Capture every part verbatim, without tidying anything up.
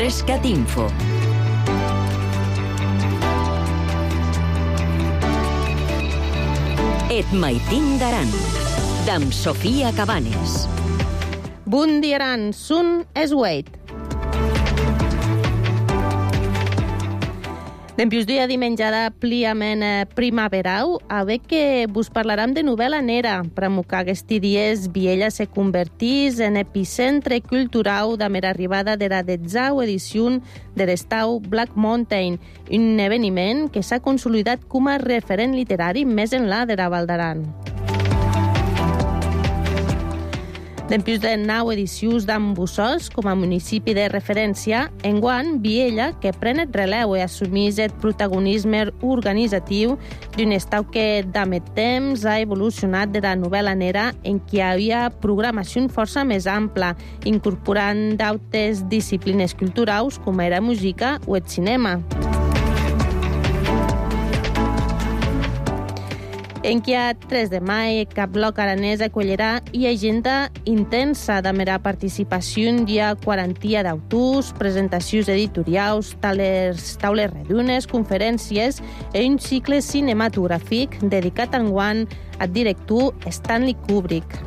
Rescat Info. Et maitin d'aran, d'am Sofia Cabanes. Bon dia aran, sun es Wade. Dempius dia dimenjada pliament primaverau, a veure que vos parlarem de novel·la nera, pramucar aquests dies Viella se convertís en epicentre cultural de mera arribada de la detzau edició de l'estau Black Mountain, un eveniment que s'ha consolidat com a referent literari més enllà de la Val d'Aran. Dempius de nou edicions d'Ambussos com a municipi de referència, enguan Viella, que pren el releu i assumís el protagonisme organitzatiu d'un estau que d'amet temps ha evolucionat de la novel·la nera en què hi havia programació força més ampla, incorporant d'altres disciplines culturals com era música o el cinema. En què a tres de maig cap bloc aranès acollirà i agenda intensa de mera participació hi ha quarantia d'autors, presentacions editorials, taules, taules redunes, conferències i un cicle cinematogràfic dedicat enguany al director Stanley Kubrick.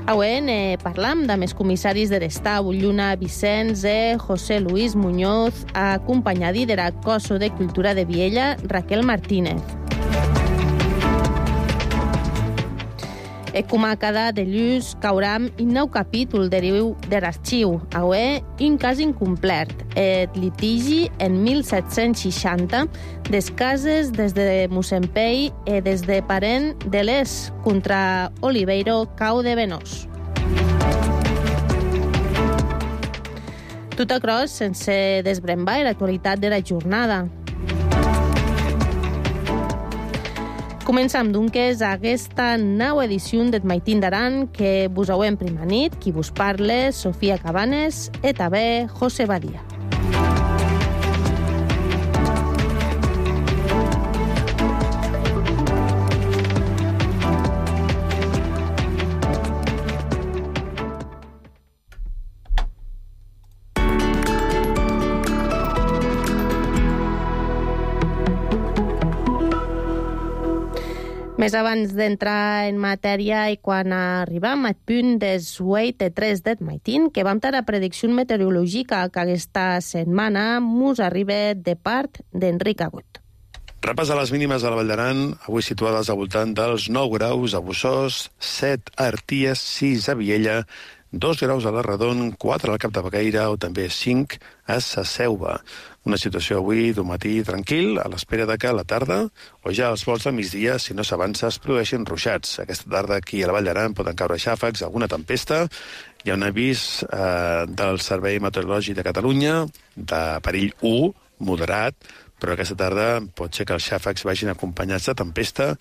Avui eh, parlam de més comissaris de l'estau, Lluna Vicenç i José Luis Muñoz, acompanyadi de la Coso de Cultura de Viella, Raquel Martínez. E com a cada dilluns cauram un nou capítol deriu de l'arxiu. Avui, un cas incomplet, el litigi en mil set-cents seixanta des cases des de Mossempell i des de Parent de l'Est contra Oliveiro Cau de Venós. Tot across sense desbrembar l'actualitat de la jornada. Començam, doncs, aquesta nova edició d'Et maitin d'aran que vos auem prima nit, qui vos parle, Sofia Cabanes, i també José Badia. Més abans d'entrar en matèria i quan arribam al punt des Wade tres d'Et maitin, que vam tenir la predicció meteorològica que aquesta setmana mos arriba de part d'Enric Agut. Repàs a les mínimes de la Val d'Aran, avui situades al voltant dels nou graus a Bossòs, set a Arties, sis a Viella, dos graus a la Redon, quatre al Cap de Becaire o també cinc a Sa Selva. Una situació avui d'un matí tranquil, a l'espera de que a la tarda o ja als vols del migdia, si no s'avança, es produeixin ruixats. Aquesta tarda aquí a la Val d'Aran poden caure xàfecs, alguna tempesta. Hi ha un avís eh, del Servei Meteorològic de Catalunya, de perill u, moderat, però aquesta tarda pot ser que els xàfecs vagin acompanyats de tempesta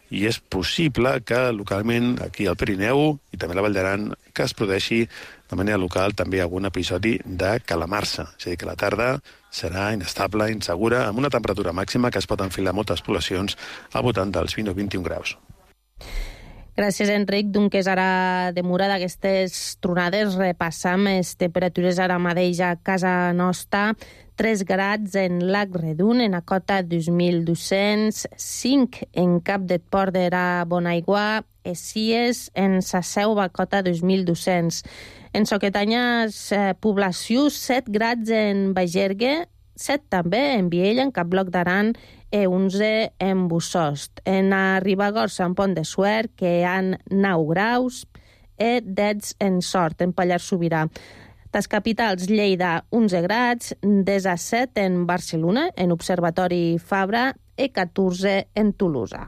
i és possible que localment aquí al Pirineu i també a la Val d'Aran que es produeixi de manera local també algun episodi de calamarsa. És a dir, que la tarda serà inestable, insegura, amb una temperatura màxima que es pot enfilar a moltes poblacions al voltant dels vint o vint-i-un graus. Gràcies, Enric. Doncs ara, demora d'aquestes tronades, repassam les temperatures ara mateix a casa nostra. tres grads en Lac Redun, en a cota dos mil dos-cents, cinc en Cap de Port de la Bonaigua, i sis en Sa Selva, cota dos mil dos-cents. En Soquetanyes, eh, població, set grads en Bagergue, set també en Viella, en Cap Bloc d'Aran, i onze en Bussost. En a Ribagorça, en Pont de Suert, que hi ha nou graus, i deu en Sort, en Pallars Sobirà. Les capitals, Lleida, onze grads, disset en Barcelona, en Observatori Fabra, i catorze en Tolosa.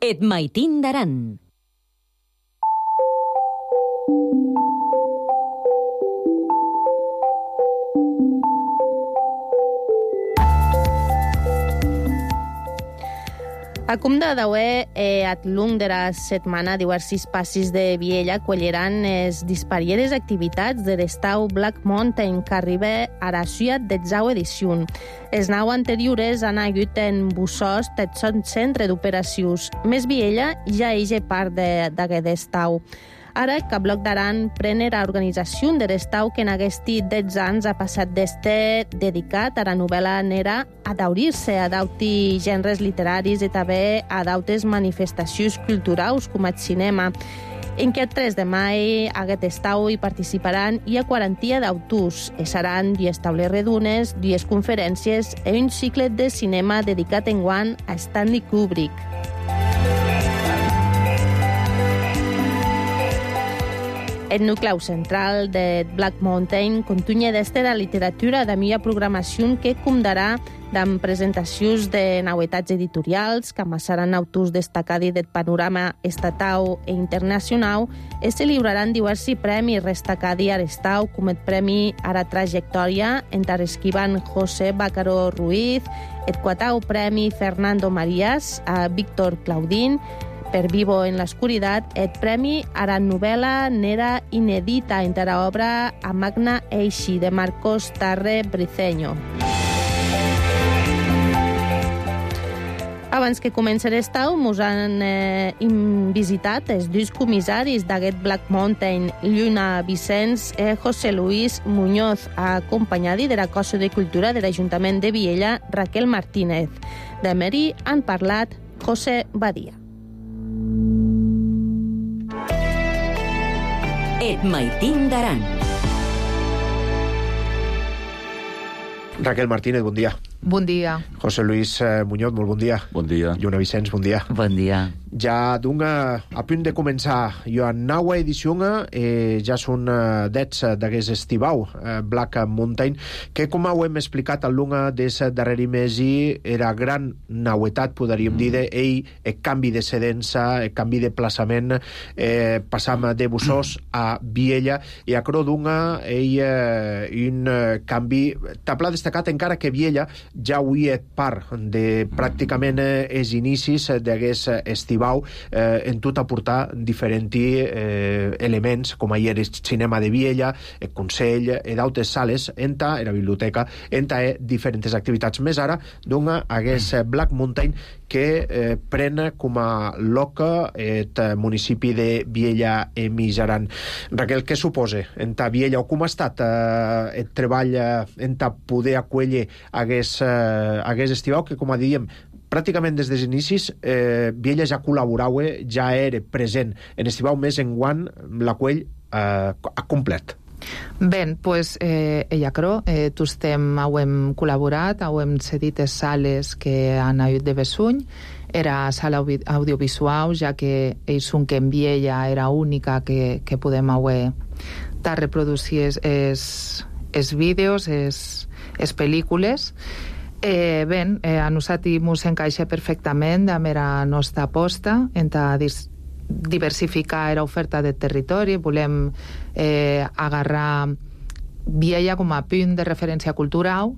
Et maitin d'aran. Acum de dauer, eh, at long de la setmana, diversos passis de Viella colleran es disparieres activitats de l'estau Black Mountain, que arriba a la ciutat d'exau edició. Els nau anteriores han hagut en Bussos, tot son centre d'operacions. Més Viella ja és part d'aquest estau. Ara, que Bloc d'Aran pren la organització de l'estau que en aquests deu anys ha passat d'estar dedicat a la novel·la nera a daurir-se a d'auti gèneres literaris i també a d'autes manifestacions culturals com el cinema. En aquest tres de maig, a aquest estau hi participaran i a quaranta d'autors. I seran dues taules redunes, dues conferències i un cicle de cinema dedicat enguany a Stanley Kubrick. El nucleu central de Black Mountain continua d'este la literatura de millor programació que comptarà amb presentacions de novetats editorials que amassaran autors destacats del panorama estatal i internacional i se lliuraran diversos premis destacats a l'estau, com el Premi a la Trajectòria entre esquivan José Bácaro Ruiz, el quatau Premi Fernando Marías a Víctor Claudín, per Vivo en l'Oscuridad, el premi a la novel·la nera inedita entre l'obra A Magna Eixi de Marcos Tarre Briceño. Abans que comenci l'estau, mos han eh, visitat els dos comissaris d'aquest Black Mountain, Lluna Vicens i José Luis Muñoz, acompanyats de la Cosa de Cultura de l'Ajuntament de Viella, Raquel Martínez. De Meri han parlat José Badia. Et Maitín d'Aran. Raquel Martínez, bon dia. Bon dia. José Luis eh, Muñoz, molt bon dia. Bon dia. Lluna Vicens, bon dia. Bon dia. Ja d'un a punt de començar jo a naua edició eh, ja són eh, dets d'aquest estivau eh, Black Mountain, que com ho hem explicat al lunga des darreri mesi era gran nauetat, podríem dir, d'ell el canvi de sedença, el canvi de plaçament, eh, passam de Bussos a Viella, i a cro d'unga ell eh, un eh, canvi tapla destacat, encara que Viella ja avui és part de pràcticament eh, els inicis d'aquest estivau, eh, en tot aportar diferents eh, elements, com ahir el cinema de Viella, el Consell, i d'altres sales, enta la biblioteca, enta diferents activitats. Més ara, d'un aquest Black Mountain que eh, pren com a loca el municipi de Viella i Mijaran. Raquel, què suposa enta Viella, o com ha estat eh, el treball enta poder acollir aquest, eh, aquest estivau, que, com a diem, pràcticament des dels inicis eh, Viella ja col·laborava, ja era present en estivau, més enguany la qual eh, ha complet. Ben, pues, eh, ella creo, eh, tostem hem col·laborat, hem cedit les sales que han hagut de Bessuny, era sala audiovisual, ja que ells són que en Viella era única que, que podem haver de reproduir els vídeos, les pel·lícules. Eh, ben, eh, a nosaltres ens encaixa perfectament amb la nostra aposta entre diversificar l'oferta del territori. Volem eh, agarrar Viella com a punt de referència cultural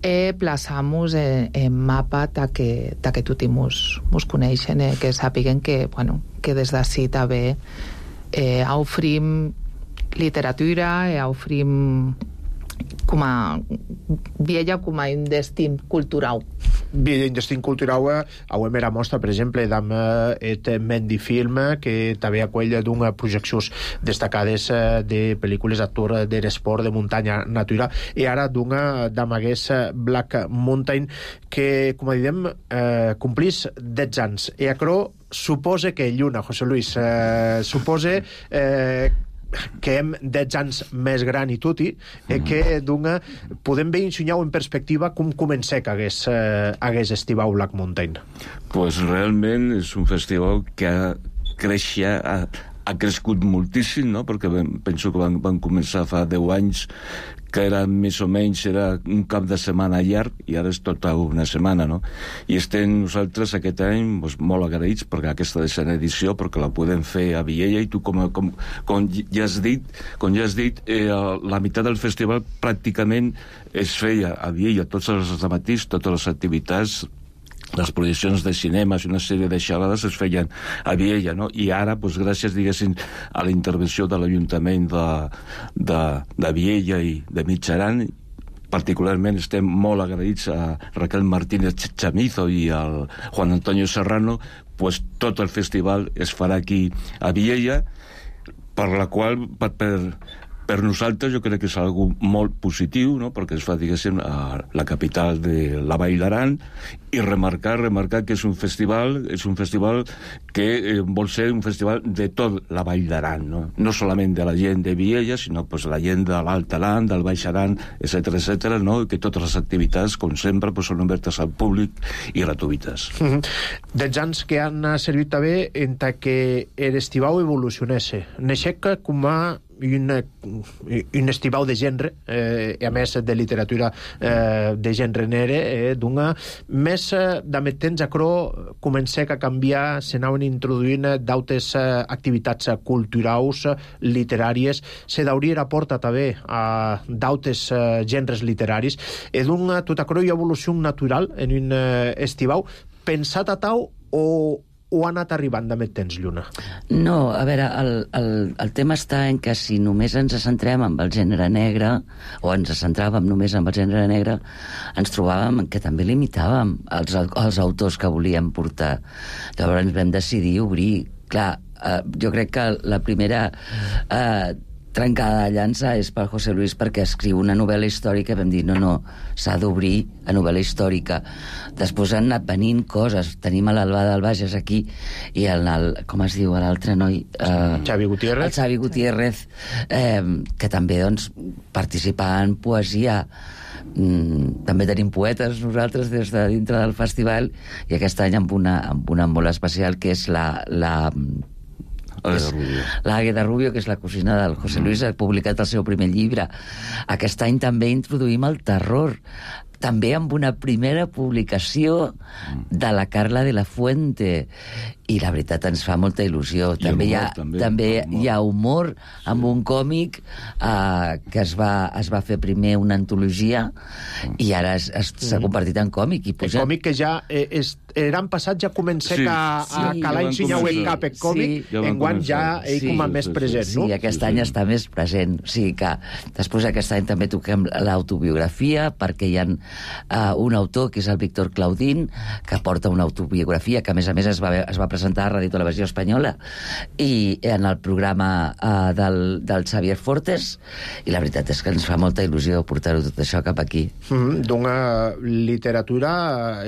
i plaçar-nos en, en mapa ta que, ta que tots ens coneixen, eh, que sàpiguen que, bueno, que des d'ací també eh, ofrim literatura i ofrim com a Viella com a un destí cultural. Viella, un destí cultural, avui era mostra, per exemple, d'am et Mendy Film, que també acull d'una projeccions destacades de pel·lícules d'actor de l'esport de muntanya natura, i ara d'una d'am hagués Black Mountain, que, com diem, eh, complís deu anys. I acro suposa que Lluna, José Luis, eh, suposa eh, que hem deu anys més gran i tutti, eh, que d'una podem veure ensenyar en perspectiva com comença que hagués, eh, hagués estivau Black Mountain. Pues realment és un festival que ha creixia, ha, ha crescut moltíssim, no? Perquè ben, penso que van, van començar fa deu anys, que era més o menys era un cap de setmana llarg, i ara és tota una setmana, no? I estem nosaltres aquest any pues, molt agraïts perquè aquesta desena edició, perquè la podem fer a Viella, i tu, com, com, com ja has dit, com ja has dit eh, la meitat del festival pràcticament es feia a Viella, tots els matins, totes les activitats les projeccions de cinemes i una sèrie de xerrades es feien a Viella, no? I ara, doncs, gràcies, diguéssim, a la intervenció de l'Ajuntament de, de, de Viella i de Mitjaran, particularment estem molt agraïts a Raquel Martínez Chamizo i al Juan Antonio Serrano, pues tot el festival es farà aquí a Viella, per la qual, per, per, per nosaltres jo crec que és algo molt positiu, no? Perquè es fa, diguéssim, a la capital de la Vall d'Aran, i remarcar, remarcar que és un festival, és un festival que eh, vol ser un festival de tot la Vall d'Aran, no? No solament de la gent de Viella, sinó pues, la gent de l'Alt Aran, del Baix Aran, etcètera, etcètera, no? I que totes les activitats, com sempre, pues, són obertes al públic i gratuïtes. Mm-hmm. Dels anys que han servit també entre que l'estivau evolucionés. Neixec com a un, un estivau de gènere, eh, a més de literatura eh, de gènere nere, eh, d'una més eh, de temps a cro comencé a canviar, se n'anaven introduint d'altres eh, activitats culturals, literàries, se d'obrir a porta també a d'altres eh, gèneres literaris, i d'una tota cro hi ha evolució natural en un eh, estivau, pensat a tau o o ha anat arribant de més temps, Lluna? No, a veure, el, el, el tema està en que si només ens centrem en el gènere negre, o ens centràvem només en el gènere negre, ens trobàvem que també limitàvem els, els autors que volíem portar. Llavors vam decidir obrir. Clar, eh, jo crec que la primera eh, trencada de llança és per José Luis, perquè escriu una novel·la històrica. Vam dir, no, no, s'ha d'obrir a novel·la històrica. Després han anat venint coses. Tenim a l'Albà del Bages aquí, i el, el com es diu l'altre noi? Eh, Xavi Gutiérrez. El Xavi Gutiérrez, eh, que també, doncs, participa en poesia. Mm, també tenim poetes nosaltres des de dintre del festival, i aquest any amb una, amb una molt especial, que és la... la l'Àgueda Rubio, que és la cosina del José Luis, ha publicat el seu primer llibre. Aquest any també introduïm el terror, també amb una primera publicació de la Carla de la Fuente, i la veritat ens fa molta il·lusió. I també humor, hi ha, també, també humor. hi ha humor, sí, amb un còmic eh, que es va, es va fer primer una antologia, i ara s'ha mm. convertit en còmic. I puja... El còmic que ja eh, és, l'any passat ja comença sí, a, sí, a calar en sinyau en cap el còmic, sí, ja enguany ja ell sí, com a sí, més present, sí, no? Sí, aquest sí, any sí. està més present. O sigui que després aquest any també toquem l'autobiografia, perquè hi ha uh, un autor, que és el Víctor Claudín, que porta una autobiografia que, a més a més, es va, es va presentar a Radio Televisió Espanyola i en el programa uh, del, del Xavier Fortes, i la veritat és que ens fa molta il·lusió portar-ho tot això cap aquí. Mm, d'una literatura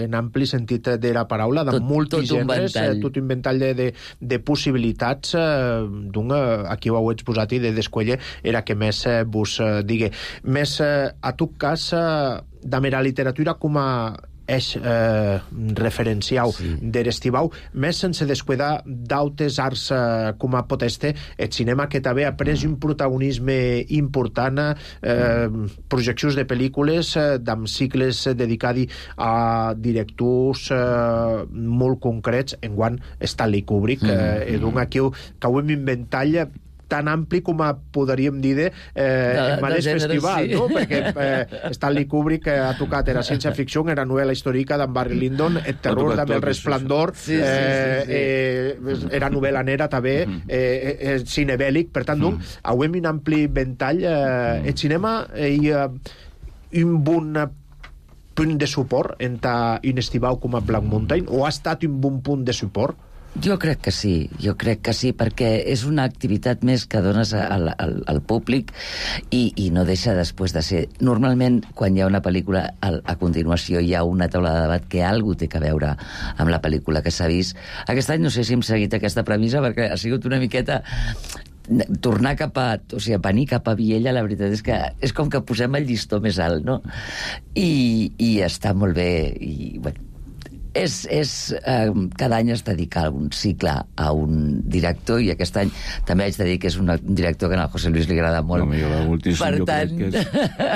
en ampli sentit de la paraula, de multigèneres, tot, tot un ventall de, de, de possibilitats, eh, d'una, aquí ho heu exposat, i de Descuelle era que més eh, vos eh, digue. Més, eh, a tot cas, eh, de mera literatura com a és eh, referenciau sí. de l'estivau, més sense descuidar d'altres arts eh, com a pot este, el cinema, que també ha pres un protagonisme important, eh, projeccions de pel·lícules eh, amb cicles dedicats a directors eh, molt concrets, enguany Stanley Kubrick, eh, mm. d'un aquí que ho hem inventat tan ampli com a podríem dir de, eh, de, en mateix festival, sí. No? Perquè eh, Stanley Kubrick eh, ha tocat, era ciència-ficció, era novel·la històrica d'en Barry Lyndon, el terror també, el resplendor, sí, sí, sí, sí, sí. Eh, eh, era novel·la nera també, eh, eh, cine bèl·lic, per tant, mm. doncs, hauem un ampli ventall. Eh, el cinema hi ha un bon punt de suport entre un estivau com a Black Mountain, o ha estat un bon punt de suport? Jo crec que sí, jo crec que sí, perquè és una activitat més que dones al, al, al públic, i, i no deixa després de ser... Normalment, quan hi ha una pel·lícula, a, a continuació hi ha una taula de debat que algú té que veure amb la pel·lícula que s'ha vist. Aquest any no sé si hem seguit aquesta premissa, perquè ha sigut una miqueta... tornar cap a... O sigui, venir cap a Viella, la veritat és que és com que posem el llistó més alt, no? I, i està molt bé, i... Bueno, És, és, eh, cada any es dedica un cicle a un director, i aquest any també haig de dir que és un director que al José Luis li agrada molt. No, m'agrada moltíssim. Per jo tant... Crec que és,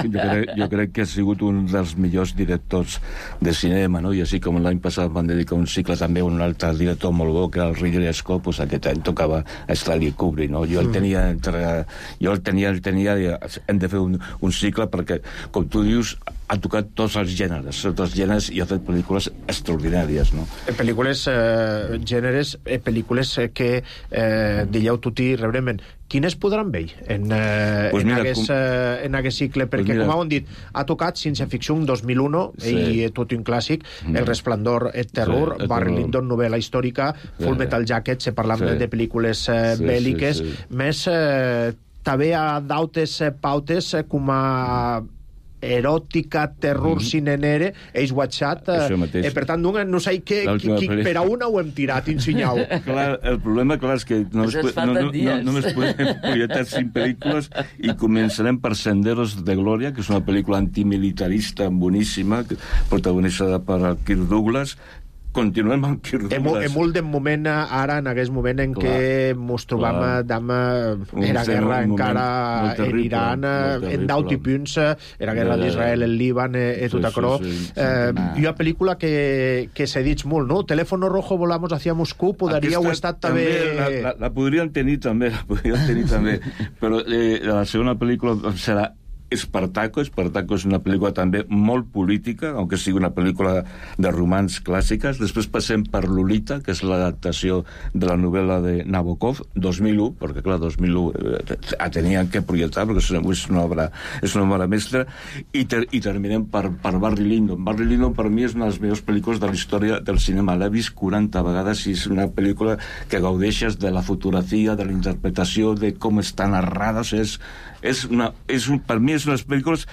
jo, crec, jo crec que ha sigut un dels millors directors de cinema, no? I així com l'any passat van dedicar un cicle també a un altre director molt bo, que era el Ridley Scott, pues aquest any tocava a Stanley Kubrick, no? Jo el tenia entre... Jo el tenia, el tenia... Hem de fer un, un cicle perquè, com tu dius, ha tocat tots els gèneres, tots els gèneres, i ha fet pel·lícules extraordinàries. extraordinàries, no? Pel·lícules, eh, gèneres, eh, pel·lícules que eh, dieu tutti rebrement. Quines podran veure en, eh, pues en, mira, aguest, com... eh, en aguest cicle? Perquè, pues mira... com heu dit, ha tocat ciència-ficció en dos mil un sí. i tot un clàssic, mm. El Resplendor, et Terror, sí, Barry Lyndon, novel·la històrica, sí. Full Metal Jacket, se parla sí. de pel·lícules eh, sí, bèl·liques, sí, sí. més eh, també a d'autes pautes eh, com a eròtica, terror, mm. cinenere, Ace Watchat, eh, eh, per tant, no, no sé que, que, que per a una ho hem tirat, insinyau. Clar, el problema, clar, és que no, es, no, no, no, només podem projectar cinc pel·lícules i començarem per Senderos de Gloria, que és una pel·lícula antimilitarista boníssima, protagonitzada per Kirk Douglas. Continuem amb Kirk Douglas. Hem molt de moment ara, en aquest moment en clar, què ens trobam d'ama era guerra encara en Iran, en d'alti punts, era guerra d'Israel, el Líban, i tot això. Hi ha pel·lícula que s'ha dit molt, no? Teléfono Rojo, volamos hacia Moscú, podria haver estat també... La podrien tenir també, la podrien tenir també, però la segona pel·lícula serà Espartaco. Espartaco és una pel·lícula també molt política, aunque sigui una pel·lícula de romans clàssiques. Després passem per Lolita, que és l'adaptació de la novel·la de Nabokov, dos mil u, perquè clar, dos mil u eh, tenien que projectar, perquè és una obra, és una obra mestra, i, ter, i terminem per, per Barry Lyndon. Barry Lyndon per mi és una de les millors pel·lícules de la història del cinema. L'he vist quaranta vegades i és una pel·lícula que gaudeixes de la fotografia, de la interpretació, de com està narrada. O sigui, és, és una, és un, per mi és una de les pel·lícules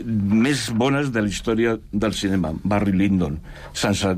més bones de la història del cinema, Barry Lyndon. Sense,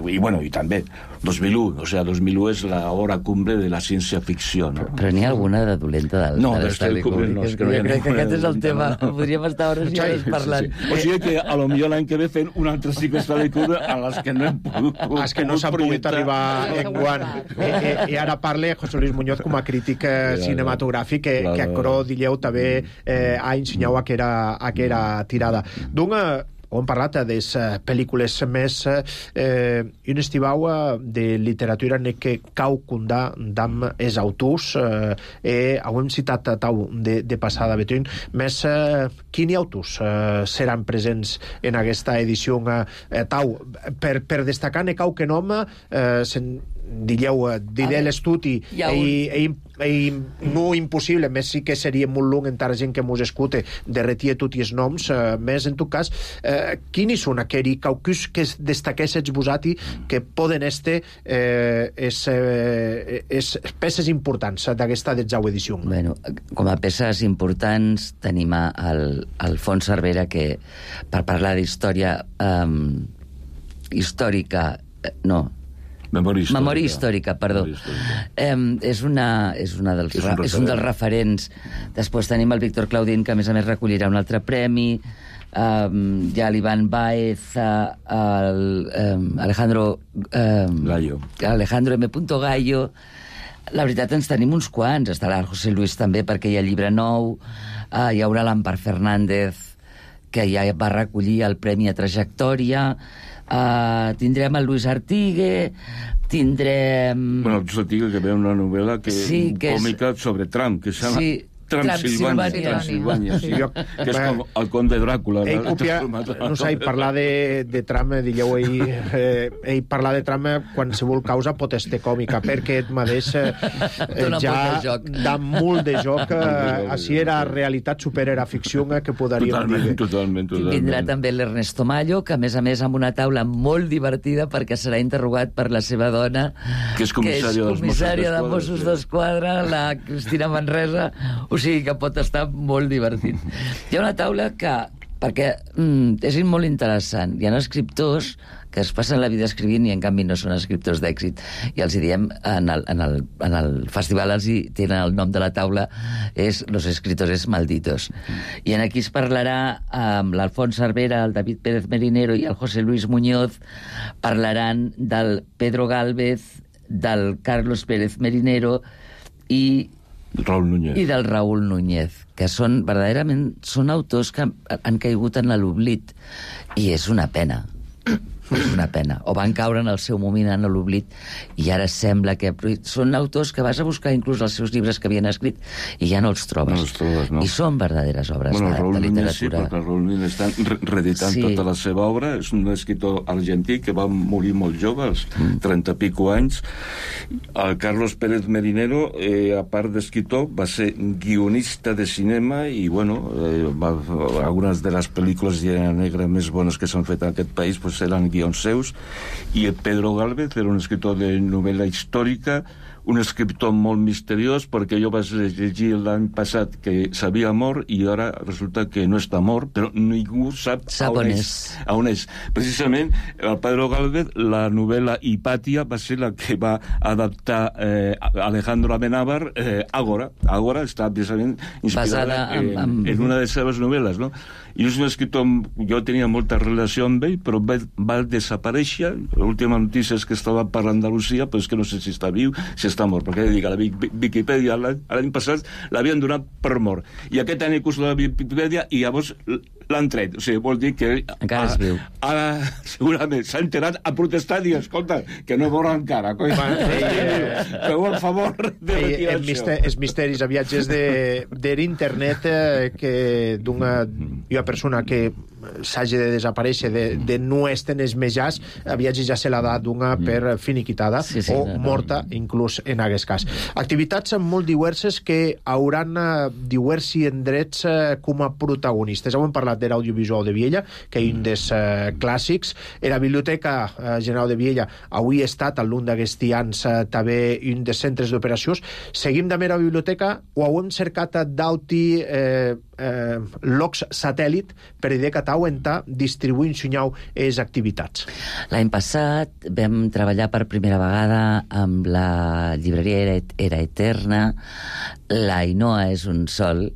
i, bueno, i també dos mil u, o sigui, dos mil u és l'hora cumbre de la ciència-ficció, no? Però n'hi ha alguna de dolenta de, no, de l'Stanley Kubrick? No, jo crec que aquest és el tema. No, no. Podríem estar hores i hores parlant. Sí, sí. O sigui que a lo millor l'any que ve fent un altre cicle Stanley Kubrick a les que no hem pogut... Els que no s'han pogut arribar en guant. I, i, I ara parla José Luis Muñoz com a crític eh, cinematogràfic que, que a Cro Dilleu també eh, ha ensenyat aquera, aquera tirada. D'una... hem parlat de les pel·lícules més eh, un estivau de literatura en què cau condà d'am els autors eh, eh, hem citat tau de, de passada betuin més eh, quins autors eh, seran presents en aquesta edició eh, tau per, per destacar ne cau que nom eh, sen, digueu, diré l'estudi i no impossible, més sí que seria molt long encara gent que mos escute de retirar tots els noms, eh, més en tot cas eh, quins són aquells caucus que destaquessin vosati que poden este eh, es, eh, es peces importants d'aquesta detzau edició? Bueno, com a peces importants tenim el, el Fons Cervera, que per parlar d'història um, històrica no Memòria històrica. Memòria històrica, perdó. Històrica. Eh, és, una, és, una dels, és, un és un dels referents. Després tenim el Víctor Claudín, que a més a més recollirà un altre premi. Um, hi ha l'Ivan Baez, uh, el, um, Alejandro... Um, Gallo. Alejandro M. Gallo. La veritat, ens tenim uns quants. Estarà el José Luis també, perquè hi ha llibre nou. Uh, hi haurà l'Ampar Fernández, que ja va recollir el Premi a Trajectòria. Uh, tindrem el Luis Artigue, tindrem... Bueno, el Luis Artigue, que ve una novel·la que, sí, que còmica és... sobre Trump, que s'ha... Sí. Transilvània, Transilvània, sí. Sí. Que és com el conde Dràcula. Ell copia, no sé, parlar de, de Trump, digueu, ell, eh, ell parlar de Trump qualsevol causa pot ser còmica, perquè et mateix eh, ja dà molt de joc. Eh, així era realitat, super era ficció, que podríem totalment, dir. Totalment, totalment. Vindrà també l'Ernesto Mallo, que a més a més amb una taula molt divertida, perquè serà interrogat per la seva dona, que és comissària, que és comissària de Mossos d'Esquadra, la Cristina Manresa. O sigui que pot estar molt divertit. Hi ha una taula que, perquè mm, és molt interessant, hi ha escriptors que es passen la vida escrivint i en canvi no són escriptors d'èxit, i els hi diem en el, en el, en el festival els hi tenen el nom de la taula, és Los Escritores Malditos, i en aquí es parlarà amb l'Alfons Cervera, el David Pérez Merinero i el José Luis Muñoz. Parlaran del Pedro Gálvez, del Carlos Pérez Merinero i Raúl Núñez. i del Raúl Núñez, que són verdaderament són autors que han caigut en l'oblit, i és una pena. És una pena. O van caure en el seu moment en l'oblit i ara sembla que... Són autors que vas a buscar inclús els seus llibres que havien escrit i ja no els trobes. No els trobes, no. I són verdaderes obres bueno, de, de literatura. Sí, perquè Raúl Núñez està re reeditant sí. tota la seva obra. És un escriptor argentí que va morir molt jove, als mm. trenta pico anys. El Carlos Pérez Merinero, eh, a part d'escriptor, va ser guionista de cinema i, bueno, eh, va, algunes de les pel·lícules de negra més bones que s'han fet en aquest país pues, eren guions seus, i Pedro Gálvez era un escriptor de novel·la històrica, un escriptor molt misteriós, perquè jo vaig llegir l'any passat que s'havia mort i ara resulta que no està mort, però ningú sap, sap on, és. A on és. Precisament, el Pedro Gálvez, la novel·la Hipàtia va ser la que va adaptar eh, Alejandro Amenábar eh, Ágora. Ágora està precisament inspirada en, en, en una de les seves novel·les, no? I és un escriptor, jo tenia molta relació amb ell, però va, va desaparèixer. L'última notícia és que estava per l'Andalusia, però és que no sé si està viu, si està mort, perquè dic, a la Viquipèdia l'any passat l'havien donat per mort. I aquest any he curs la Viquipèdia i llavors l'han tret. O sigui, vol dir que... Encara és viu. Ara, segurament, s'ha enterat a protestar i, escolta, que no mor encara. Feu el favor de retirar això. Els misteris a viatges d'internet eh, que d'una persona que s'hagi de desaparèixer, de, de no estar en els mitjans, a viatges ja se l'ha dat d'una per finiquitada sí, sí, o no, no. morta, inclús en aquest cas. Activitats molt diverses que hauran eh, diversi endrets eh, com a protagonistes. Hem parlat de l'audiovisual de Viella, que és un dels eh, clàssics. En la Biblioteca eh, General de Viella avui ha estat, al lluny d'aquests anys, eh, també un dels centres d'operacions. Seguim també a la biblioteca o hem cercat d'alti eh, eh, locs satèl·lit per idea que tau entà distribuint sunyau les activitats. L'any passat vam treballar per primera vegada amb la llibreria Era, Era Eterna. La Ainhoa és un sol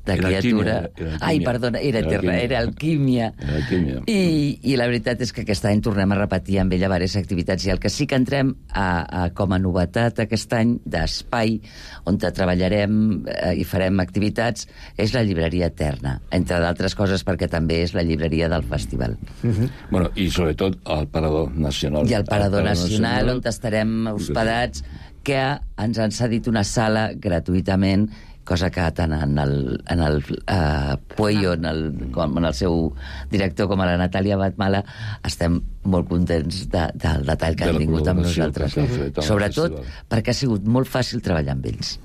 de era criatura... Alquímia, era Ai, perdona, era, era Eterna, era Alquímia. Era Alquímia. I, I la veritat és que aquest any tornem a repetir amb ella diverses activitats i el que sí que entrem a, a, com a novetat aquest any d'espai on treballarem eh, i farem activitats és la llibreria Eterna, entre d'altres coses perquè també és la llibreria del festival. Uh-huh. Bueno, i sobretot el Parador Nacional. I el Parador, el Parador Nacional, Nacional, on estarem hospedats, que ens han cedit una sala gratuïtament, cosa que tant en el, en el uh, Puello, en el, com en el seu director, com a la Natàlia Batmala, estem molt contents de, del detall que de han tingut amb nosaltres. Que sobretot perquè ha sigut molt fàcil treballar amb ells.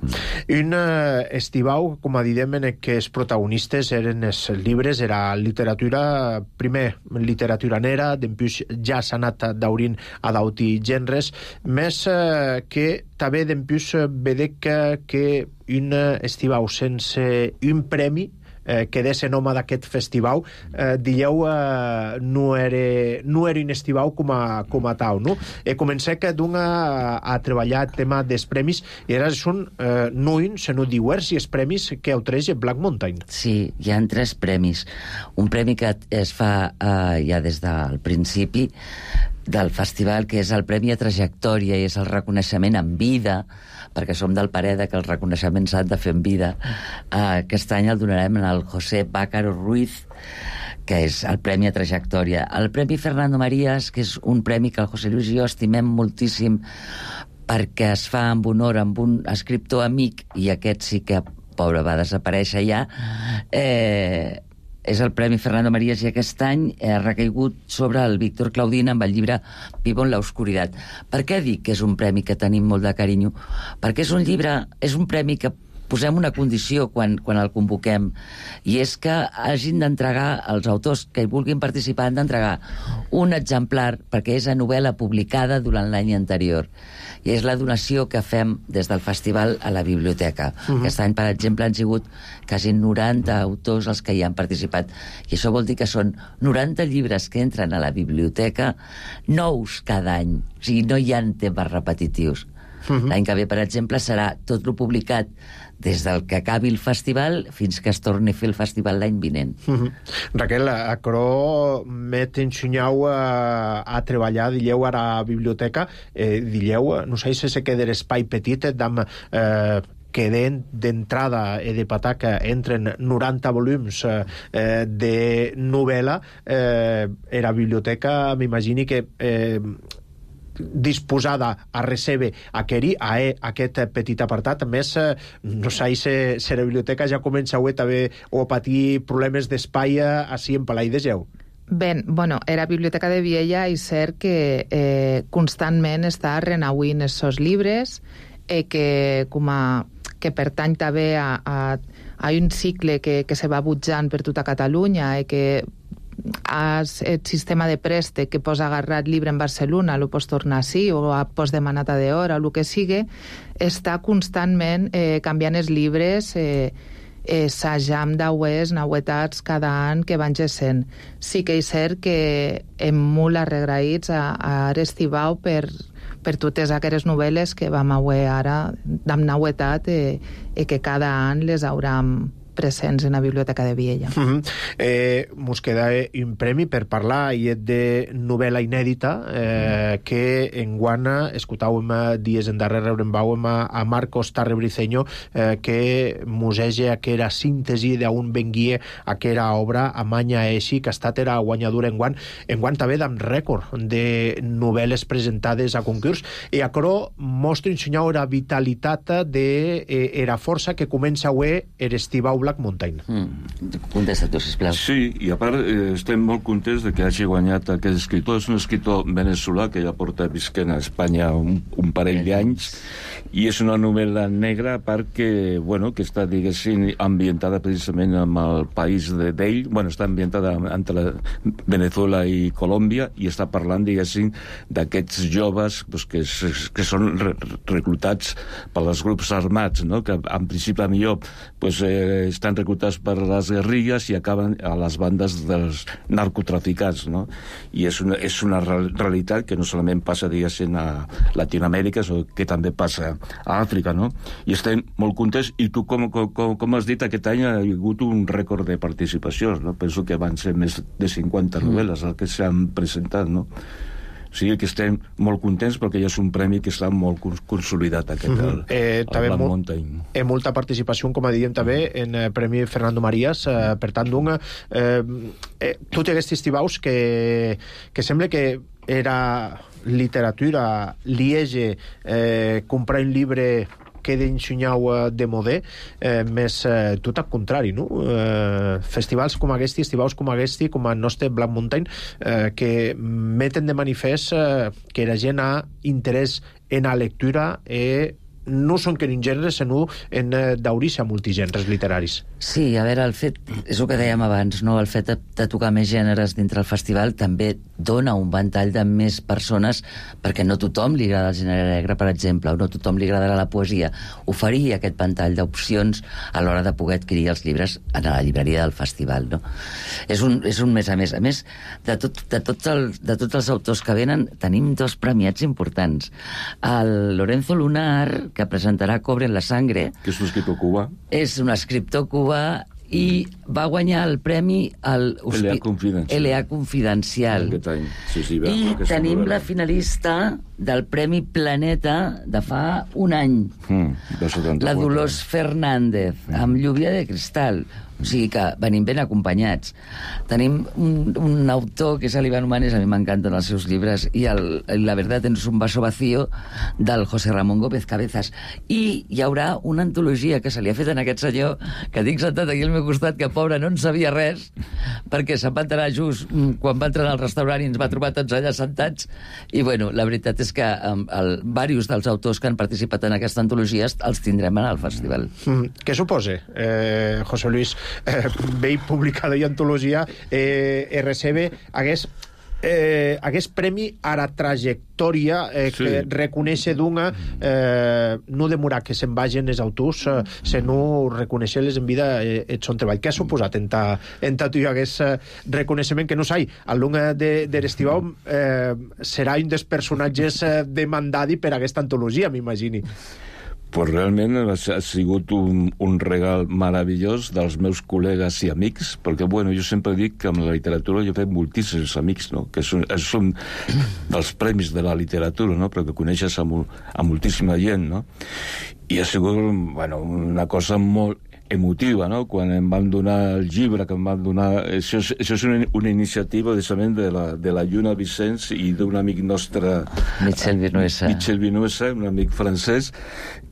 Un uh, estivau, com a didem, en què els protagonistes eren els llibres, era literatura, primer literatura nera, després ja s'ha anat daurint a d'auti gèneres, més uh, que també després vedec que, que un estivau sense un premi eh, que desse nome d'aquest festival, eh, dieu eh, no, era, no era un estivau com a, com a tau, no? E comencé que d'un a, a treballar el tema dels premis i ara són eh, no un, sinó diversos premis que ofereix Black Mountain. Sí, hi ha tres premis. Un premi que es fa eh, ja des del principi del festival, que és el Premi a Trajectòria i és el reconeixement en vida, perquè som del parer que el reconeixement s'ha de fer en vida. Uh, aquest any el donarem al José Bácaro Ruiz, que és el Premi a Trajectòria. El Premi Fernando Marías, que és un premi que el José Luis i jo estimem moltíssim perquè es fa amb honor amb un escriptor amic, i aquest sí que, pobre, va desaparèixer ja, eh... és el Premi Fernando Marías i aquest any ha recaigut sobre el Víctor Claudín amb el llibre Vivo en la oscuridad. Per què dic que és un premi que tenim molt de carinyo? Perquè és un llibre, és un premi que posem una condició quan, quan el convoquem, i és que hagin d'entregar, els autors que hi vulguin participar han d'entregar un exemplar perquè és a novel·la publicada durant l'any anterior, i és la donació que fem des del festival a la biblioteca. Uh-huh. Aquest any, per exemple, han sigut quasi noranta autors els que hi han participat, i això vol dir que són noranta llibres que entren a la biblioteca, nous cada any, o sigui, no hi ha temes repetitius. Uh-huh. L'any que ve, per exemple, serà tot lo publicat des del que acabi el festival fins que es torni a fer el festival l'any vinent. Uh-huh. Raquel, aquerò m'het ensenyau a, a treballar, dilleu, a la biblioteca, eh, dilleu, no sé si se queda l'espai petit, dam, eh, que d'entrada i de pataca entren noranta volums eh, de novel·la, eh, era biblioteca, m'imagini que eh, disposada a recebre aqueri, a e, aquest petit apartat. A més, no sé si, si la biblioteca ja comença a, també, o a patir problemes d'espai així en Palai de Geu. Ben, bueno, era Biblioteca de Viella i cert que eh, constantment està renauint els seus llibres, eh, que, com a, que pertany també a, a, a un cicle que, que se va butjant per tota Catalunya i que el sistema de préstec que pots agarrar llibre en Barcelona, lo pots tornar així, o pots demanar de hora, o el que sigui, està constantment eh, canviant els llibres, eh, eh, s'ajam d'aues, nauetats cada any que van gessent. Sí que és cert que hem molt arregraïts a, a Arestibau per, per totes aquelles novel·les que vam auer ara d'am nauetat i eh, que cada any les hauram presents en la Biblioteca de Viella. Uh -huh. eh, mos queda un premi per parlar i és de novel·la inèdita eh, que en guana escoltàvem dies endarrere rebrembàvem a, a Marcos Tarrebriceño eh, que musege aquera síntesi d'un benguie aquera obra a Manya Eixi que ha estat era guanyadora en guant en guant també d'am rècord de novel·les presentades a concurs i aquerò mostra ensenyar la vitalitat de eh, era força que comença a ver Arestibau Black Mountain. Mm. Contesta tu, sisplau. Sí, i a part eh, estem molt contents de que hagi guanyat aquest escriptor. És un escriptor veneçolà que ja porta visquent a Espanya un, un parell d'anys i és una novel·la negra a part que, bueno, que està, diguéssim, ambientada precisament amb el país de d'ell. Bueno, està ambientada entre Venezuela i Colòmbia i està parlant, diguéssim, d'aquests joves pues, que, que són re reclutats pels grups armats, no? Que en principi millor pues, eh, estan reclutats per les guerrilles i acaben a les bandes dels narcotraficants, no? I és una, és una realitat que no solament passa, diguéssim, a Latinoamèrica, sinó que també passa a Àfrica, no? I estem molt contents, i tu, com, com, com has dit, aquest any ha hagut un rècord de participacions, no? Penso que van ser més de cinquanta novel·les el que s'han presentat, no? O sigui que estem molt contents perquè ja és un premi que està molt consolidat aquest, el, mm -hmm. eh, el Black molt, Mountain. Eh, molta participació, com a diem també, en el Premi Fernando Marías, eh, per tant, d'un, eh, eh, tot aquest estivaus que, que sembla que era literatura, liege, eh, comprar un llibre que d'ensenyau de modè, eh, més eh, tot al contrari, no? Eh, festivals com aquest, estivaus com aquest, com el nostre Black Mountain, eh, que meten de manifest eh, que la gent ha interès en la lectura i no són que en gèneres, sinó en eh, d'aurir-se a multigèneres literaris. Sí, a veure, el fet, és el que dèiem abans, no? El fet de, de tocar més gèneres dintre el festival també dona un ventall de més persones, perquè no tothom li agrada el gènere negre, per exemple, o no tothom li agradarà la poesia. Oferir aquest ventall d'opcions a l'hora de poder adquirir els llibres a la llibreria del festival, no? És un, és un més a més. A més, de, tot, de, tot el, de tots els autors que venen, tenim dos premiats importants. El Lorenzo Lunar, que presentarà Cobre en la sangre. Que és un escriptor cubà. És un escriptor cubà i va guanyar el premi al L A Confidencial. L A Confidencial. Sí, sí, va, I tenim novel·la. la finalista del Premi Planeta de fa un any. Mm, la Dolors Fernández, mm. amb Lluvia de Cristal. O sigui que venim ben acompanyats. Tenim un, un autor que és l'Ivan Humanes, a mi m'encanten els seus llibres, i el, La verdad es un vaso vacío, del José Ramón Gómez Cabezas. I hi haurà una antologia que se li ha fet en aquest senyor, que tinc sentat aquí al meu costat, que pobre no en sabia res, perquè se'n va entrar just quan va entrar al restaurant i ens va trobar tots allà sentats. I bueno, la veritat és que um, el, diversos dels autors que han participat en aquesta antologia els tindrem al festival. Mm, què suposa, eh, José Luis, eh, veig publicada i antologia eh, R C B hagués eh, hagués premi a la trajectòria eh, sí. que reconèixer d'una eh, no demorar que se'n vagin els autors eh, sinó reconèixer-les en vida eh, et son treball. Què ha suposat en ta, en ta tu hi hagués eh, reconeixement que no sai? El Lunga de, de l'Estibau eh, serà un dels personatges eh, demandadi per aquesta antologia, m'imagini. Pues realment ha sigut un, un regal meravellós dels meus col·legues i amics, perquè, bueno, jo sempre dic que amb la literatura jo he fet moltíssims amics, no? Que són, són dels premis de la literatura, no? Perquè coneixes a, a moltíssima gent, no? i ha sigut, bueno, una cosa molt emotiva, no? Quan em van donar el llibre, que em van donar... Això és, això és una, una iniciativa, precisament, de la, de la Lluna Vicenç i d'un amic nostre... Michel Vinuesa. Michel Vinuesa, un amic francès,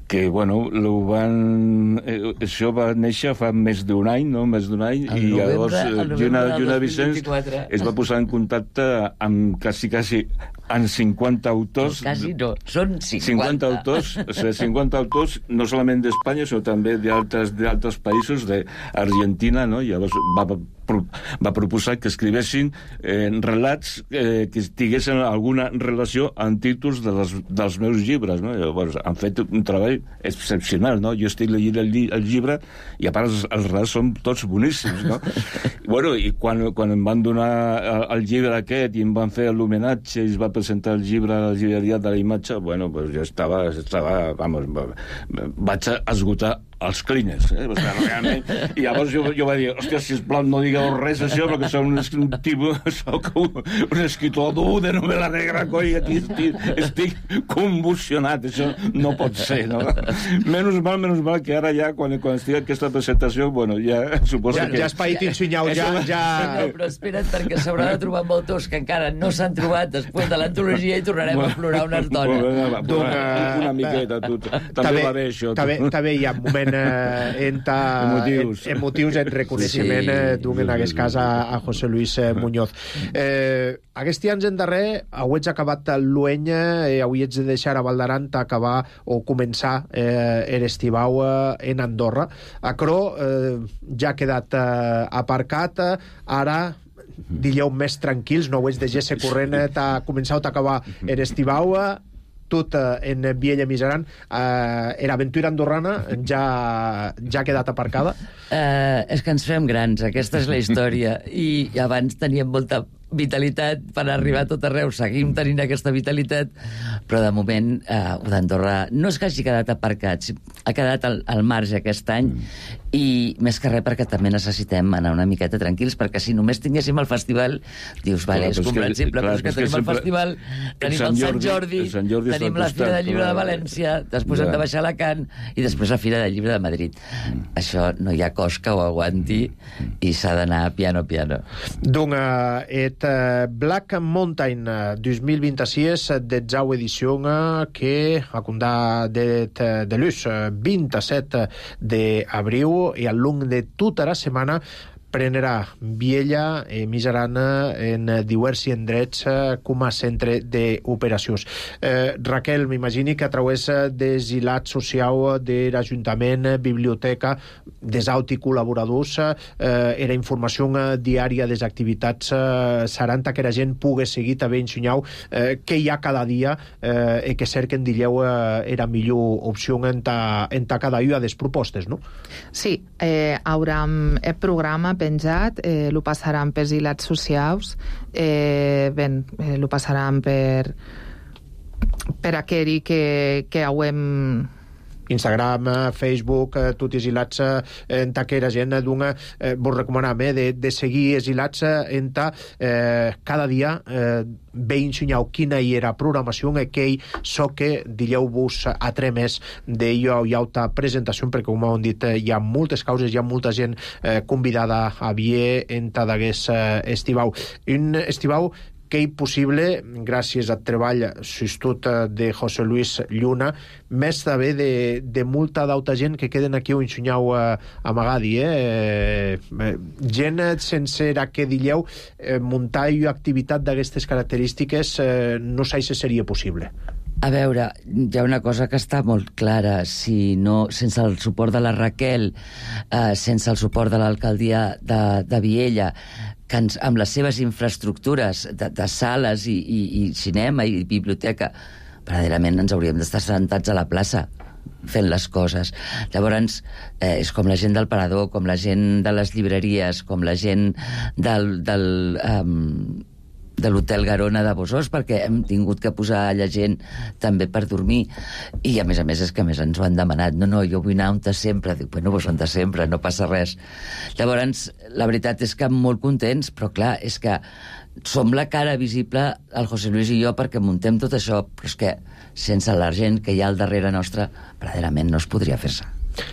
que, bueno, lo van... Eh, això va néixer fa més d'un any, no? Més d'un any, el i novembre, llavors Lluna, Lluna Vicenç es va posar en contacte amb quasi, quasi, amb cinquanta autors... No, quasi no, són cinquanta. cinquanta autors, o sigui, cinquanta autors, no solament d'Espanya, sinó també d'altres d'altres països, d'Argentina, no? Llavors va, va proposar que escrivessin eh, relats eh, que tinguessin alguna relació amb títols de les, dels meus llibres, no? Llavors han fet un treball excepcional, no? Jo estic llegint el, lli el llibre i a part els, els relats són tots boníssims, no? Bueno, i quan, quan em van donar el, el llibre aquest i em van fer l'homenatge i es va presentar el llibre a la llibreria de la imatge, bueno, pues jo estava, estava vamos, vaig esgotar els cleaners, eh? Realment. I llavors jo, jo vaig dir, hòstia, sisplau, no digueu res d'això, perquè soc un, un tipus, soc un, un escritor dur de novel·la negra, coi, aquí estic, estic convulsionat, això no pot ser, no? Menys mal, menys mal, que ara ja, quan, quan estic aquesta presentació, bueno, ja suposo ja, que... Ja has paït insunyau, ja... ja... No, però espera't, perquè s'haurà de trobar amb autors que encara no s'han trobat després de l'antologia i tornarem a plorar una estona. Una, una miqueta, tu. També va bé, això. També hi ha un moment eh, en ta, emotius. En, emotius en reconeixement sí, eh, d'un, en aquest cas, a, a José Luis eh, Muñoz. Eh, aquests anys en darrer, avui ets acabat l'ueny, eh, avui ets de deixar a Valdaran acabar o començar eh, l'estivau eh, en Andorra. Acro eh, ja ha quedat eh, aparcat, ara dileu més tranquils, no ho és de gesse corrent, t'ha començat a acabar l'estivau, tot en Viella Miseran, eh, l'aventura andorrana ja, ja ha quedat aparcada? Eh, és que ens fem grans, aquesta és la història, i abans teníem molta vitalitat per arribar a tot arreu, seguim tenint aquesta vitalitat, però de moment eh, d'Andorra no és que hagi quedat aparcat, ha quedat al, al marge aquest any, i més que res perquè també necessitem anar una miqueta tranquils, perquè si només tinguéssim el festival, dius, vale, és comprensible, però és que tenim el festival, tenim el Sant Jordi, tenim la Fira del Llibre de València, després hem de baixar a Alacant, i després la Fira del Llibre de Madrid. Això no hi ha cos que ho aguanti, i s'ha d'anar piano piano. Donc, et Black Mountain dos mil vint-i-sis, detzau edició que acundà de, de l'ús vint-i-set d'abril, i al long de tota la setmana prenderà Viella i Miserana en diversos indrets com a centre d'operacions. Eh, Raquel, m'imagini que a través des hilat social de l'Ajuntament, biblioteca, des auti col·laboradors, eh, era informació diària des activitats eh, seran que la gent pugui seguir també ensenyau eh, què hi ha cada dia eh, i que cerquen dilleu eh, era millor opció en ta, en ta cada una des propostes, no? Sí, eh, haurem el programa penjat, eh, lo passaran per hilats socials, eh, ben, eh, lo passaran per per aquell que, que hauem Instagram, Facebook, eh, tots els hilats en ta que la gent d'una, eh, vos recomanem eh, de, de seguir els hilats en ta eh, cada dia eh, bé ensenyau quina hi era programació, aquell so que dilleu-vos a tres més d'ello hi ha ta presentació, perquè com hem dit hi ha moltes causes, hi ha molta gent eh, convidada a vier en ta d'aguest eh, estivau. Un estivau que és possible, gràcies al treball sostut de José Luis Lluna, més també de, de molta d'altra gent que queden aquí o ensenyau a, a Magadi, eh? eh? Gent sense la que dilleu eh, muntar una activitat d'aquestes característiques eh, no sé si seria possible. A veure, hi ha una cosa que està molt clara. Si no, sense el suport de la Raquel, eh, sense el suport de l'alcaldia de, de Viella, que ens, amb les seves infraestructures de, de sales i, i, i cinema i biblioteca, verdaderament ens hauríem d'estar sentats a la plaça fent les coses. Llavors, eh, és com la gent del Parador, com la gent de les llibreries, com la gent del... del um, de l'Hotel Garona de Bossós, perquè hem tingut que posar la gent també per dormir, i a més a més és que a més ens ho han demanat, no, no, jo vull anar on de sempre, dic, bueno, doncs on de sempre, no passa res. Llavors, la veritat és que molt contents, però clar, és que som la cara visible, el José Luis i jo, perquè muntem tot això, però és que sense la gent que hi ha al darrere nostre, verdaderament no es podria fer-se.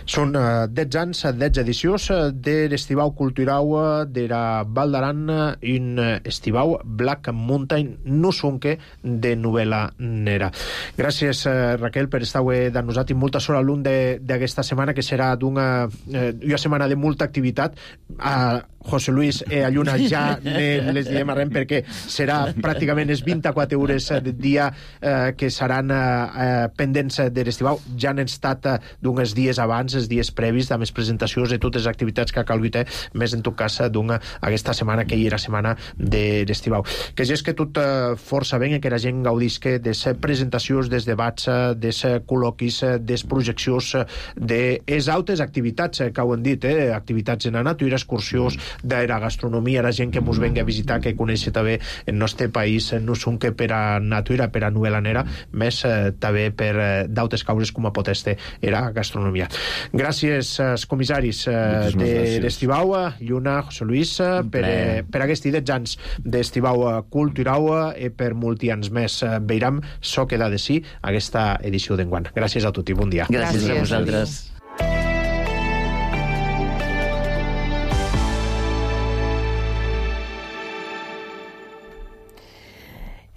Són uh, dotze anys, dotze edicions uh, de l'Estivau Culturau uh, de la Val d'Aran, un uh, estivau Black Mountain Nusunque de novel·la nera. Gràcies, uh, Raquel, per estar avui de nosaltres i molta sort a l'un d'aquesta setmana, que serà d'una uh, una setmana de molta activitat. A José Luis i a Lluna ja ne les direm arrem, perquè serà pràcticament les vint-i-quatre hores de dia uh, que seran uh, pendents de l'estivau. Ja han estat uh, d'uns dies abans, els dies previs, amb les presentacions de totes les activitats que ha calgut, més en tot cas d'una aquesta setmana, que hi era setmana de l'estivau. Que ja és que tot uh, força ben, que la gent gaudisca de les presentacions, des debats, des col·loquis, des projeccions, de les altres activitats que ho han dit, eh? Activitats en la natura, excursions, de la gastronomia, la gent que ens venga a visitar, que coneix també el nostre país, no són que per a natura, per a novel·la nera, més eh, també per eh, d'altres causes com a pot estar la gastronomia. Gràcies als comissaris eh, de l'Estivau, Lluna, José Luis, eh, per, eh, per aquests dotze anys d'Estivau Culturau, i per molts anys més. Eh, veiram so queda de si aquesta edició d'enguany. Gràcies a tots i bon dia. Gràcies, Gràcies a vosaltres.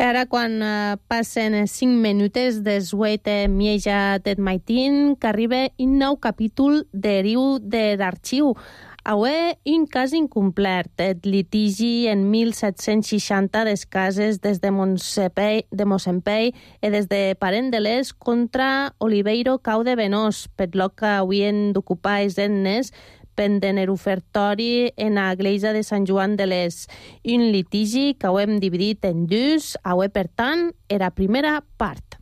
Ara, quan uh, passen cinc minutes des huit mieja del matin, que arriba un nou capítol de riu de l'arxiu. Avui, un cas incomplert, el litigi en mil set-cents seixanta des cases des de Monsempei, de Monsempei i des de Parent de l'Est contra Oliveiro Cau de Venós, per lo que havien d'ocupar els etnes pendent el ofertori en la Iglesia de Sant Joan de l'Es. Un litigi que ho hem dividit en dos, avui, per tant, era la primera part.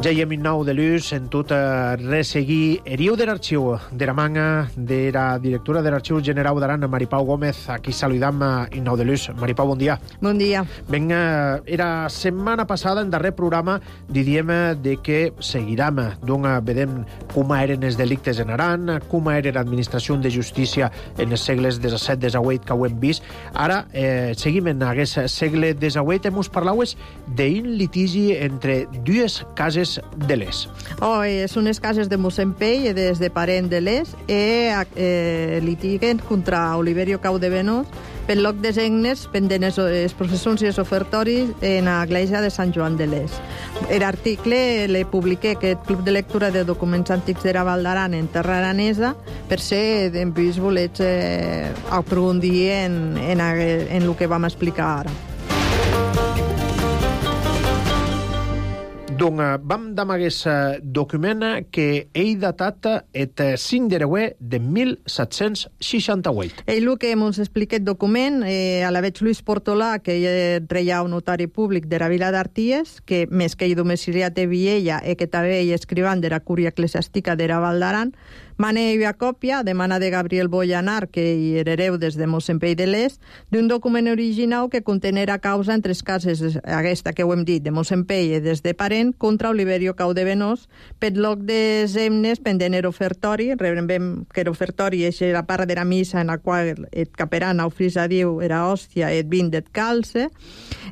Ja hi hem un nou de l'ús en tot a resseguir eriu de l'arxiu de la manga de la directora de l'Arxiu General d'Aran, Maripau Gómez. Aquí saludam un nou de l'ús. Maripau, bon dia. Bon dia. Ben, era setmana passada, en darrer programa, diríem de que seguirem, d'on vedem com eren els delictes en Aran, com era l'administració de justícia en els segles disset disset que ho hem vist. Ara, eh, seguim en aquest segle disset, hem us parlat d'un litigi entre dues cases de l'Es. Oh, són unes cases de Monsempei i des de Parent de l'Es i eh, litiguen contra Oliverio Cau de Venós per loc de egnes pendent les processons i els ofertoris en l'església de Sant Joan de l'Es. L'article le publiqué que el Club de Lectura de Documents Antics de la Val d'Aran en terra aranesa per ser, en plus, volets eh, aprofundir en, en, en el que vam explicar ara. Donc, vam damar aquest document que ell datat el cinc de gener de mil set-cents seixanta-vuit. Ell el que ens explica el document, eh, a la veig Luis Portolà, que ell reia un notari públic de la vila d'Arties, que més que ell domiciliat de Viella i que també ell escrivant de la cúria eclesiàstica de la Val d'Aran, mane a còpia, de mana de Gabriel Boyanar, que hi era hereu des de Monsempei de l'Est, d'un document original que contenera causa entre les cases, aquesta que ho hem dit, de Monsempei i des de Parent, contra Oliverio Cau de Venós, per loc de zemnes pendent el ofertori, rebrem que l'ofertori és la part de la missa en la qual el caperan ofrisa a Déu era hòstia i el vin del calce,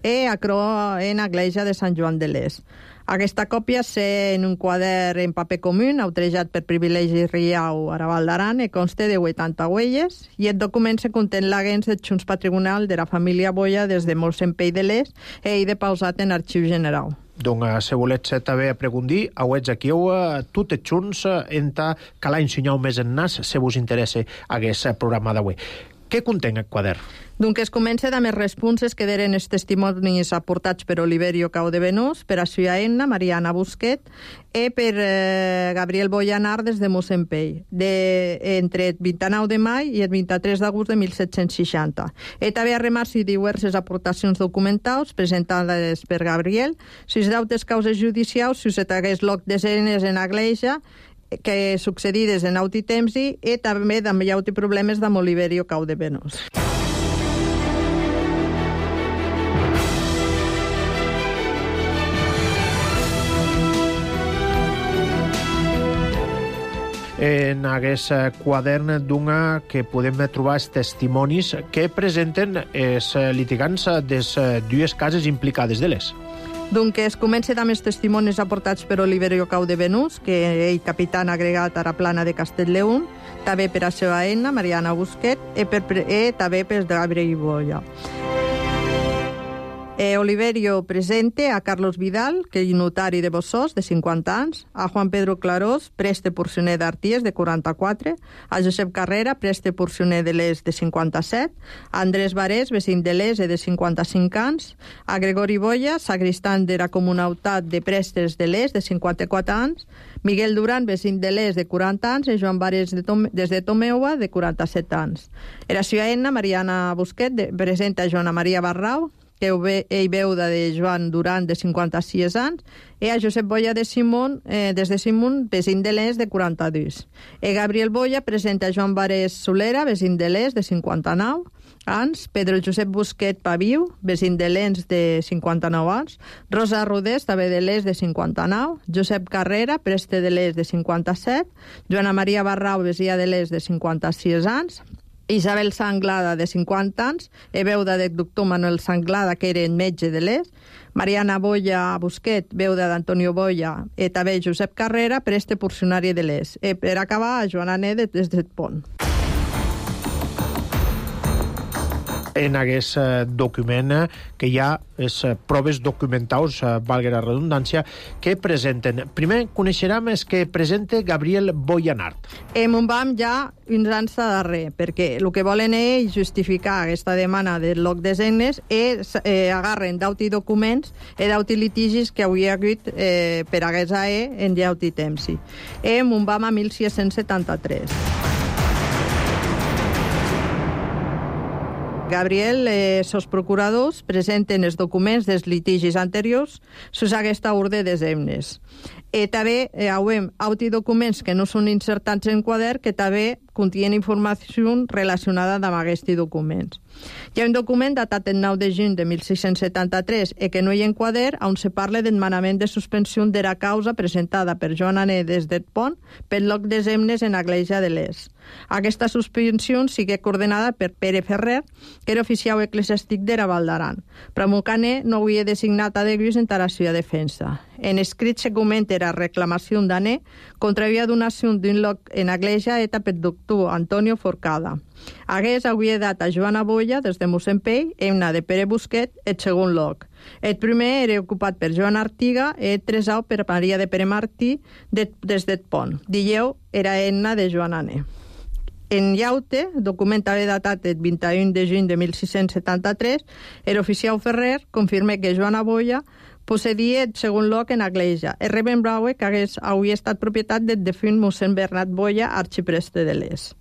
i acro en l'església de Sant Joan de l'Est. Aquesta còpia és en un quadern en paper comú, autorejat per Privilegi Riau a la Val d'Aran, i consta de vuitanta huelles, i el document se contén l'agens de junts patrimonial de la família Boia des de Monsempei de l'Est i ell de pausat en Arxiu General. Donc, si volets també preguntar, auets aquí tot junts, enta que l'any ensenyau més en nas, si vos interessa aquest programa d'avui. Què conté el quadern? Donc es comença amb els responses que eren els testimonis aportats per Oliverio Caudevenús, per a Suya Enna, Mariana Busquet, i per eh, Gabriel Boyanar des de Mossempell, de, entre el vint-i-nou de maig i el vint-i-tres d'agost de mil set-cents seixanta. I també a remarç i diverses aportacions documentals presentades per Gabriel, sus dautes causes judicials, sus atagués loc d'escenes en Agleja, que succedides en auti temsi, i també també hi ha problemes amb Oliverio Caudevenús. En aquest quadern d'una que podem trobar els testimonis que presenten els litigants des dues cases implicades de les. Donc es comença amb els testimonis aportats per Oliverio Caudevenús, que ell capitán agregat a la plana de Castellleón, també per a seva Enna, Mariana Busquet, i, per, i també per Gabriel Boya. Eh, Oliverio presente a Carlos Vidal, que és notari de Bossós, de cinquanta anys, a Juan Pedro Clarós, preste porcioner d'Arties, de quaranta-quatre, a Josep Carrera, preste porcioner de l'Es, de cinquanta-set, a Andrés Varés, vecin de l'Es, de cinquanta-cinc anys, a Gregori Boya, sagristán de la comunautat de prestes de l'Es, de cinquanta-quatre anys, Miguel Duran, vecin de l'Es, de quaranta anys, i Joan Varés, de Tom, des de Tomeua, de quaranta-set anys. Era Suya Enna, Mariana Busquet, de, presenta a Joana Maria Barrau, que ell veuda de Joan Duran, de cinquanta-sis anys, i a Josep Boya de Simón, eh, des de Simón, vecin de l'Es, de quaranta-dos. I Gabriel Boya presenta a Joan Varés Solera, vecin de l'Es, de cinquanta-nou anys, Pedro Josep Busquet Paviu, vecin de l'Ens, de cinquanta-nou anys, Rosa Rodés, també de l'Es, de cinquanta-nou, Josep Carrera, preste de l'Es, de cinquanta-set, Joana Maria Barrau, vesia de l'Es, de cinquanta-sis anys, Isabel Sanglada, de cinquanta anys, i veuda del doctor Manuel Sanglada, que era metge de l'Es, Mariana Boya Busquet, veuda d'Antonio Boya, i també Josep Carrera, preste porcionari de l'Es. I per acabar, a Joana Nede, des del Pont. En aquest document que hi ha les proves documentals, valga la redundància, que presenten. Primer coneixerem els que presenta Gabriel Boyanart. Em on vam ja uns anys darrer, perquè el que volen ells justificar aquesta demanda del loc de segnes és eh, agarren d'auti documents i d'auti litigis que hauria hagut eh, per a aquesta E en d'auti temsi. Em on vam a mil sis-cents setanta-tres. Gabriel, eh, sos procuradors presenten els documents dels litigis anteriors sus aquesta ordre de semnes. I també eh, hauem auti documents que no són insertats en quadern que també contien informació relacionada amb aquests documents. Hi ha un document datat el nou de juny de mil sis-cents setanta-tres i que no hi ha en quadern on se parla del manament de suspensió de la causa presentada per Joan Ané des del Pont pel loc de semnes en Agleja de l'Es. Aquesta suspensió sigue coordenada per Pere Ferrer, que era oficial eclesiàstic de la Val d'Aran, però Mocané no havia designat a Deguis en la seva defensa. En escrit se comenta la reclamació d'Ané contra la donació d'un loc en Agleja eta per doctor Antonio Forcada. Hagués havia dat a Joana Boya des de Mossempell, Emna de Pere Busquet, el segon loc. El primer era ocupat per Joan Artiga i el tresau per Maria de Pere Martí de, des del Pont. Dilleu era Enna de Joan Ané. En Llaute, document també datat el vint-i-un de juny de mil sis-cents setanta-tres, el oficial Ferrer confirma que Joana Boya possedia el segon loc en Agleja. El Reben Braue, que hagués, hauria estat propietat del defunt mossèn Bernat Boya, arxipreste de l'Es.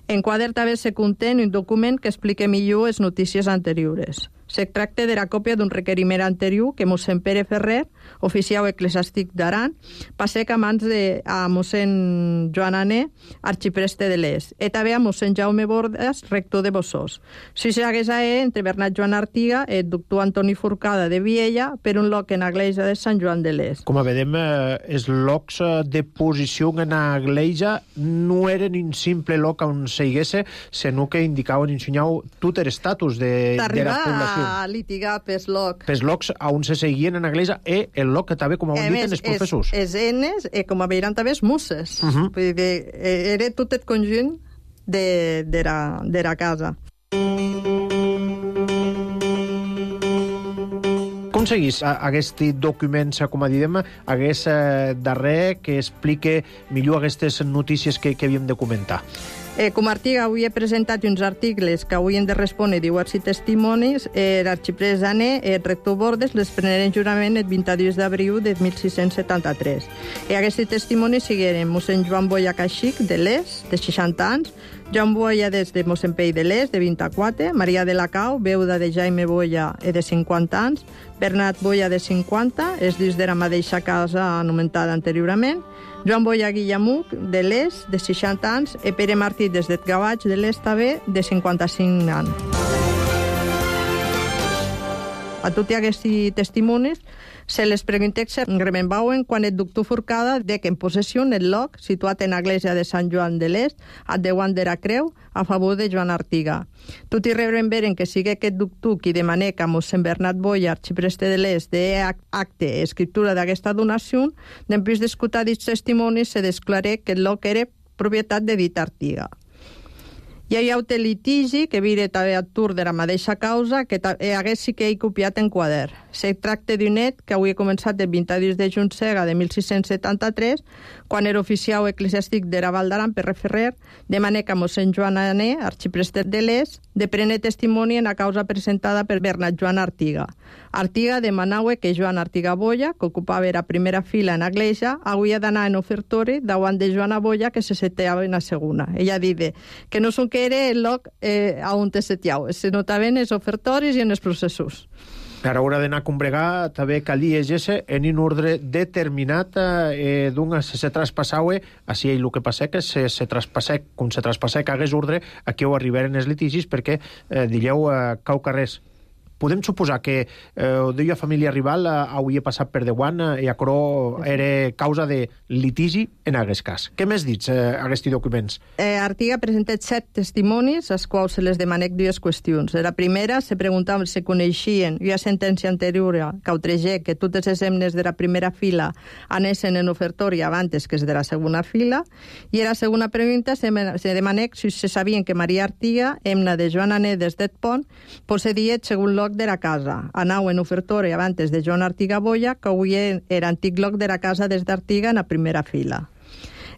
En quadern també se conté un document que explica millor les notícies anteriors. Se tracta de la còpia d'un requeriment anterior que mossèn Pere Ferrer, oficial eclesiàstic d'Aran, passec a mans de a mossèn Joan Ané, arxipreste de l'Es, i també a mossèn Jaume Bordas, rector de Bossós. Si s'hagués a e entre Bernat Joan Artiga i el doctor Antoni Forcada de Viella per un loc en Agleja de Sant Joan de l'Es. Com a vedem, eh, els locs de posició en Agleja no eren un simple loc on s'higuesse, sinó que indicaven, ensenyau tot l'estatus de, de la població. A litigar pels loc. Pels locs on se seguien en Agleja i el loc que també, com ho han dit, en els professors. Els enes, i com a veiran també els musses. Uh -huh. Vull dir, era tot el conjunt de, de, la, de la casa. Com seguís aquest document, com a diem, aquest darrer que explique millor aquestes notícies que, que havíem de comentar? Eh, com a Artiga avui he presentat uns articles que avui hem de respondre diversos testimonis. Eh, l'arxiprés Ané, eh, rector Bordes, les preneren jurament el vint-i-dos d'abril de mil sis-cents setanta-tres. E aquests testimonis sigueren mossèn Joan Boia Caxic, de l'Es, de seixanta anys, Joan Boia des de mossèn Pei de l'Es, de vint-i-quatre, Maria de la Cau, veuda de Jaime Boia, de cinquanta anys, Bernat Boia, de cinquanta, és dins de la mateixa casa anomenada anteriorment, Joan Boia Guillamuc, de l'Es, de seixanta anys, i Pere Martí, des de Gavatx, de l'Es, també, de cinquanta-cinc anys. A tots aquests testimonis se les pregunta si remembrauen quan el doctor Forcada de que en possessió el lloc situat en l'església de Sant Joan de l'Est, a Déu de la Creu, a favor de Joan Artiga. Tot i remembren que sigui aquest doctor qui demana que mossèn Bernat Boia, arxipreste de l'Est, de acte i escriptura d'aquesta donació, després d'escoltar aquests testimonis se desclaré que el lloc era propietat de dit Artiga. Hi ha hagut el litigi, que vire també a tur de la mateixa causa, que hagués sí que he copiat en quadern. Se tracta d'un net que avui ha començat el vint-i-dos de juny sega de mil sis-cents setanta-tres, quan era oficial eclesiàstic de la Val d'Aran, Pere Ferrer, demana que mossèn Joan Ané, arxipreste de l'Es, de prendre testimoni en la causa presentada per Bernat Joan Artiga. Artiga demanava que Joan Artiga Boia, que ocupava la primera fila en l'església, havia d'anar en ofertori davant de Joana Boia, que se seteava en la segona. Ella diu que no són que era el lloc eh, on te setiau, se notaven els ofertoris i en els processos. Per a l'hora d'anar a combregar, també calia llegir en un ordre determinat eh, d'un se se traspassava, així el que passa que se, se traspassà, com se traspassà que hagués ordre, aquí ho arribaren els litigis perquè, eh, digueu, eh, cau carrers. Podem suposar que eh, deia família rival eh, hauria passat per Dewan eh, i aquerò era causa de litigi en aquest cas. Què més dits, eh, aquests documents? Eh, Artiga presenta set testimonis, als quals se les demanec dues qüestions. De la primera, se preguntava si coneixien una sentència anterior que autoregé que totes les hemnes de la primera fila anessin en ofertori abans que és de la segona fila, i a la segona pregunta se, se demanec si se sabien que Maria Artiga, hemna de Joan Ané des d'Et Pont, possedia segon lloc de la casa. Anau en ofertori abans de Joan Artiga Boia, que avui era antic lloc de la casa des d'Artiga en la primera fila.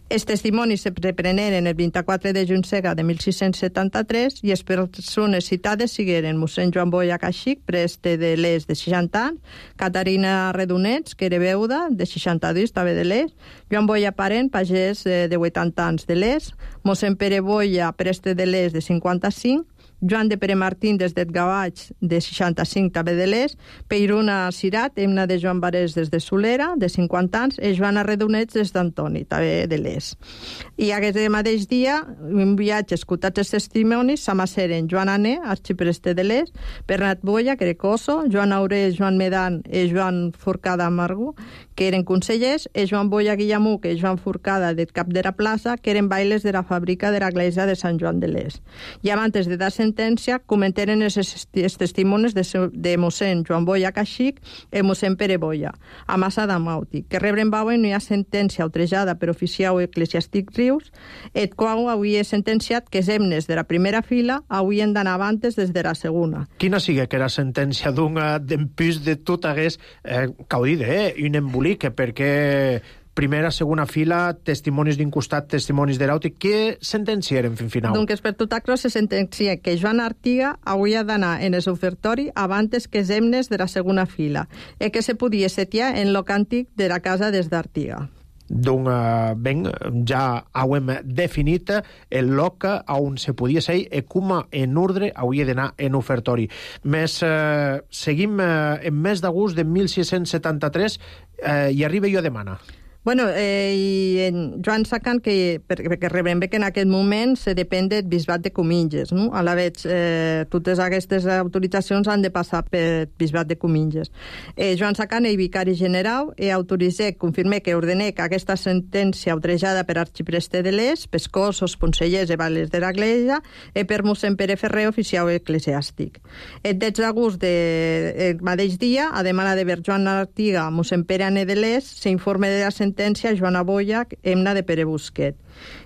Els testimonis se repreneren el vint-i-quatre de juny sega de mil sis-cents setanta-tres i les persones citades sigueren mossèn Joan Boia Caxic, preste de l'Es de seixanta anys, Caterina Redonets, que era veuda, de seixanta-dos, també de l'Es, Joan Boia Parent, pagès de vuitanta anys de l'Es, mossèn Pere Boia, preste de l'Es de cinquanta-cinc, Joan de Pere Martín des d'Et Gavatx, de seixanta-cinc, també de l'Es, Peiruna Cirat, hemna de Joan Barés des de Solera, de cinquanta anys, i Joana Redonets des d'Antoni, també de l'Es. I aquest mateix dia, en viatge escoltats els testimonis, s'amasseren Joan Ané, arxipreste de l'Es, Bernat Boia, que era coso, Joan Auré, Joan Medan i Joan Forcada Amargo, que eren consellers, i Joan Boia Guillamuc i Joan Forcada de cap de la plaça, que eren bailes de la fàbrica de l'església de Sant Joan de l'Es. I abans de dar sentència, comentaren els, els testimonis de, de mossèn Joan Boia Caxic i mossèn Pere Boia, a Massa d'Amauti, que rebren bauen no hi ha sentència outrejada per oficial eclesiàstic Rius, et qual havia sentenciat que els hemnes de la primera fila havien d'anar abans des de la segona. Quina sigue que era sentència d'un d'empús de tot hagués, eh, caudida, eh, un embolic, perquè primera, segona fila, testimonis d'un costat, testimonis de l'altre. Què sentenciaren fin final? Doncs per tot això se sentencia que Joan Artiga hauria d'anar en el ofertori abans que els hemnes de la segona fila i que se podia setiar en l'oc antic de la casa des d'Artiga. Doncs uh, ben, ja hem definit el lloc on se podia ser i com en ordre hauria d'anar en ofertori. Més, uh, seguim uh, en mes d'agost de mil sis-cents setanta-tres uh, i arriba jo a demana. Bueno, eh, i en Joan Sacan, que, perquè rebem bé que en aquest moment se depèn del bisbat de Comminges, no? A la vegada, eh, totes aquestes autoritzacions han de passar per bisbat de Comminges. Eh, Joan Sacan, el vicari general, eh, autoritza, confirma que ordena que aquesta sentència outrejada per arxipreste de l'Es, pescosos, consellers i vales de l'església, eh, per mossèn Pere Ferrer, oficial eclesiàstic. El dotze d'agost del mateix dia, a demanda de ver Joan Artiga, mossèn Pere Ané de l'Es, s'informa de la sentència Joana Boia, hemna de Pere Busquet.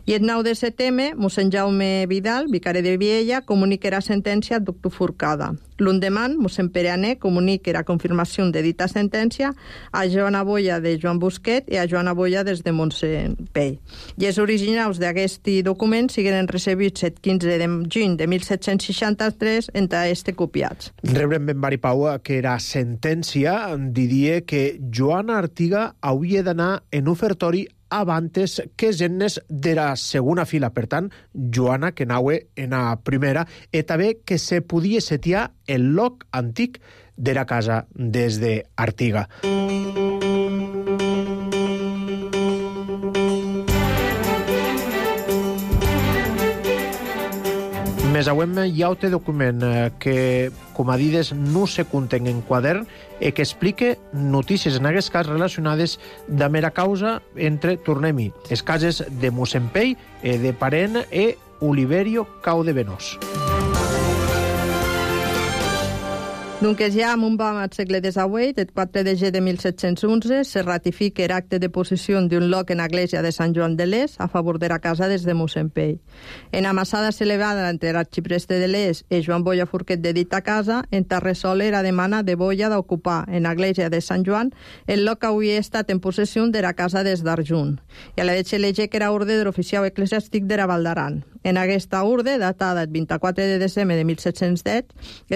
I el nou de setembre, mossèn Jaume Vidal, vicari de Viella, comunicarà sentència al doctor Forcada. L'endemà, mossèn Pere Ané comunicarà confirmació de dita sentència a Joana Boia de Joan Busquet i a Joana Boia des de Mossèn Pell. I els originals d'aquest document siguen recebits el quinze de juny de mil set-cents seixanta-tres entre este copiats. Rebrem ben Maripau que era sentència, diria que Joana Artiga hauria d'anar en ofertori abantes que gennes de la segona fila. Per tant, Joana, que naue en la primera, i també que se podia setiar el loc antic de la casa des d'Artiga. Més auem hi ha un document que, com a dides, no se conten en quadern i que explique notícies, en aquest cas, relacionades de mera causa entre, tornem-hi, les cases de mossèn Pell, de Parent i Oliverio Caudevenós. Donc ja en un vam al segle divuit, el quatre de gener de mil set-cents onze, se ratifica l'acte de possessió d'un loc en l'església de Sant Joan de l'Es a favor de la casa des de mossèn Pell. En amassada celebrada entre l'arxipreste de l'Es i Joan Boia Forquet de dita casa, en Tarresol era demana de Boia d'ocupar en l'església de Sant Joan el loc que havia estat en possessió de la casa des d'Arjunt. I a la veig elegir que era ordre de l'oficial eclesiàstic de la Val d'Aran. En aquesta orde, datada el vint-i-quatre de desembre de mil set-cents deu,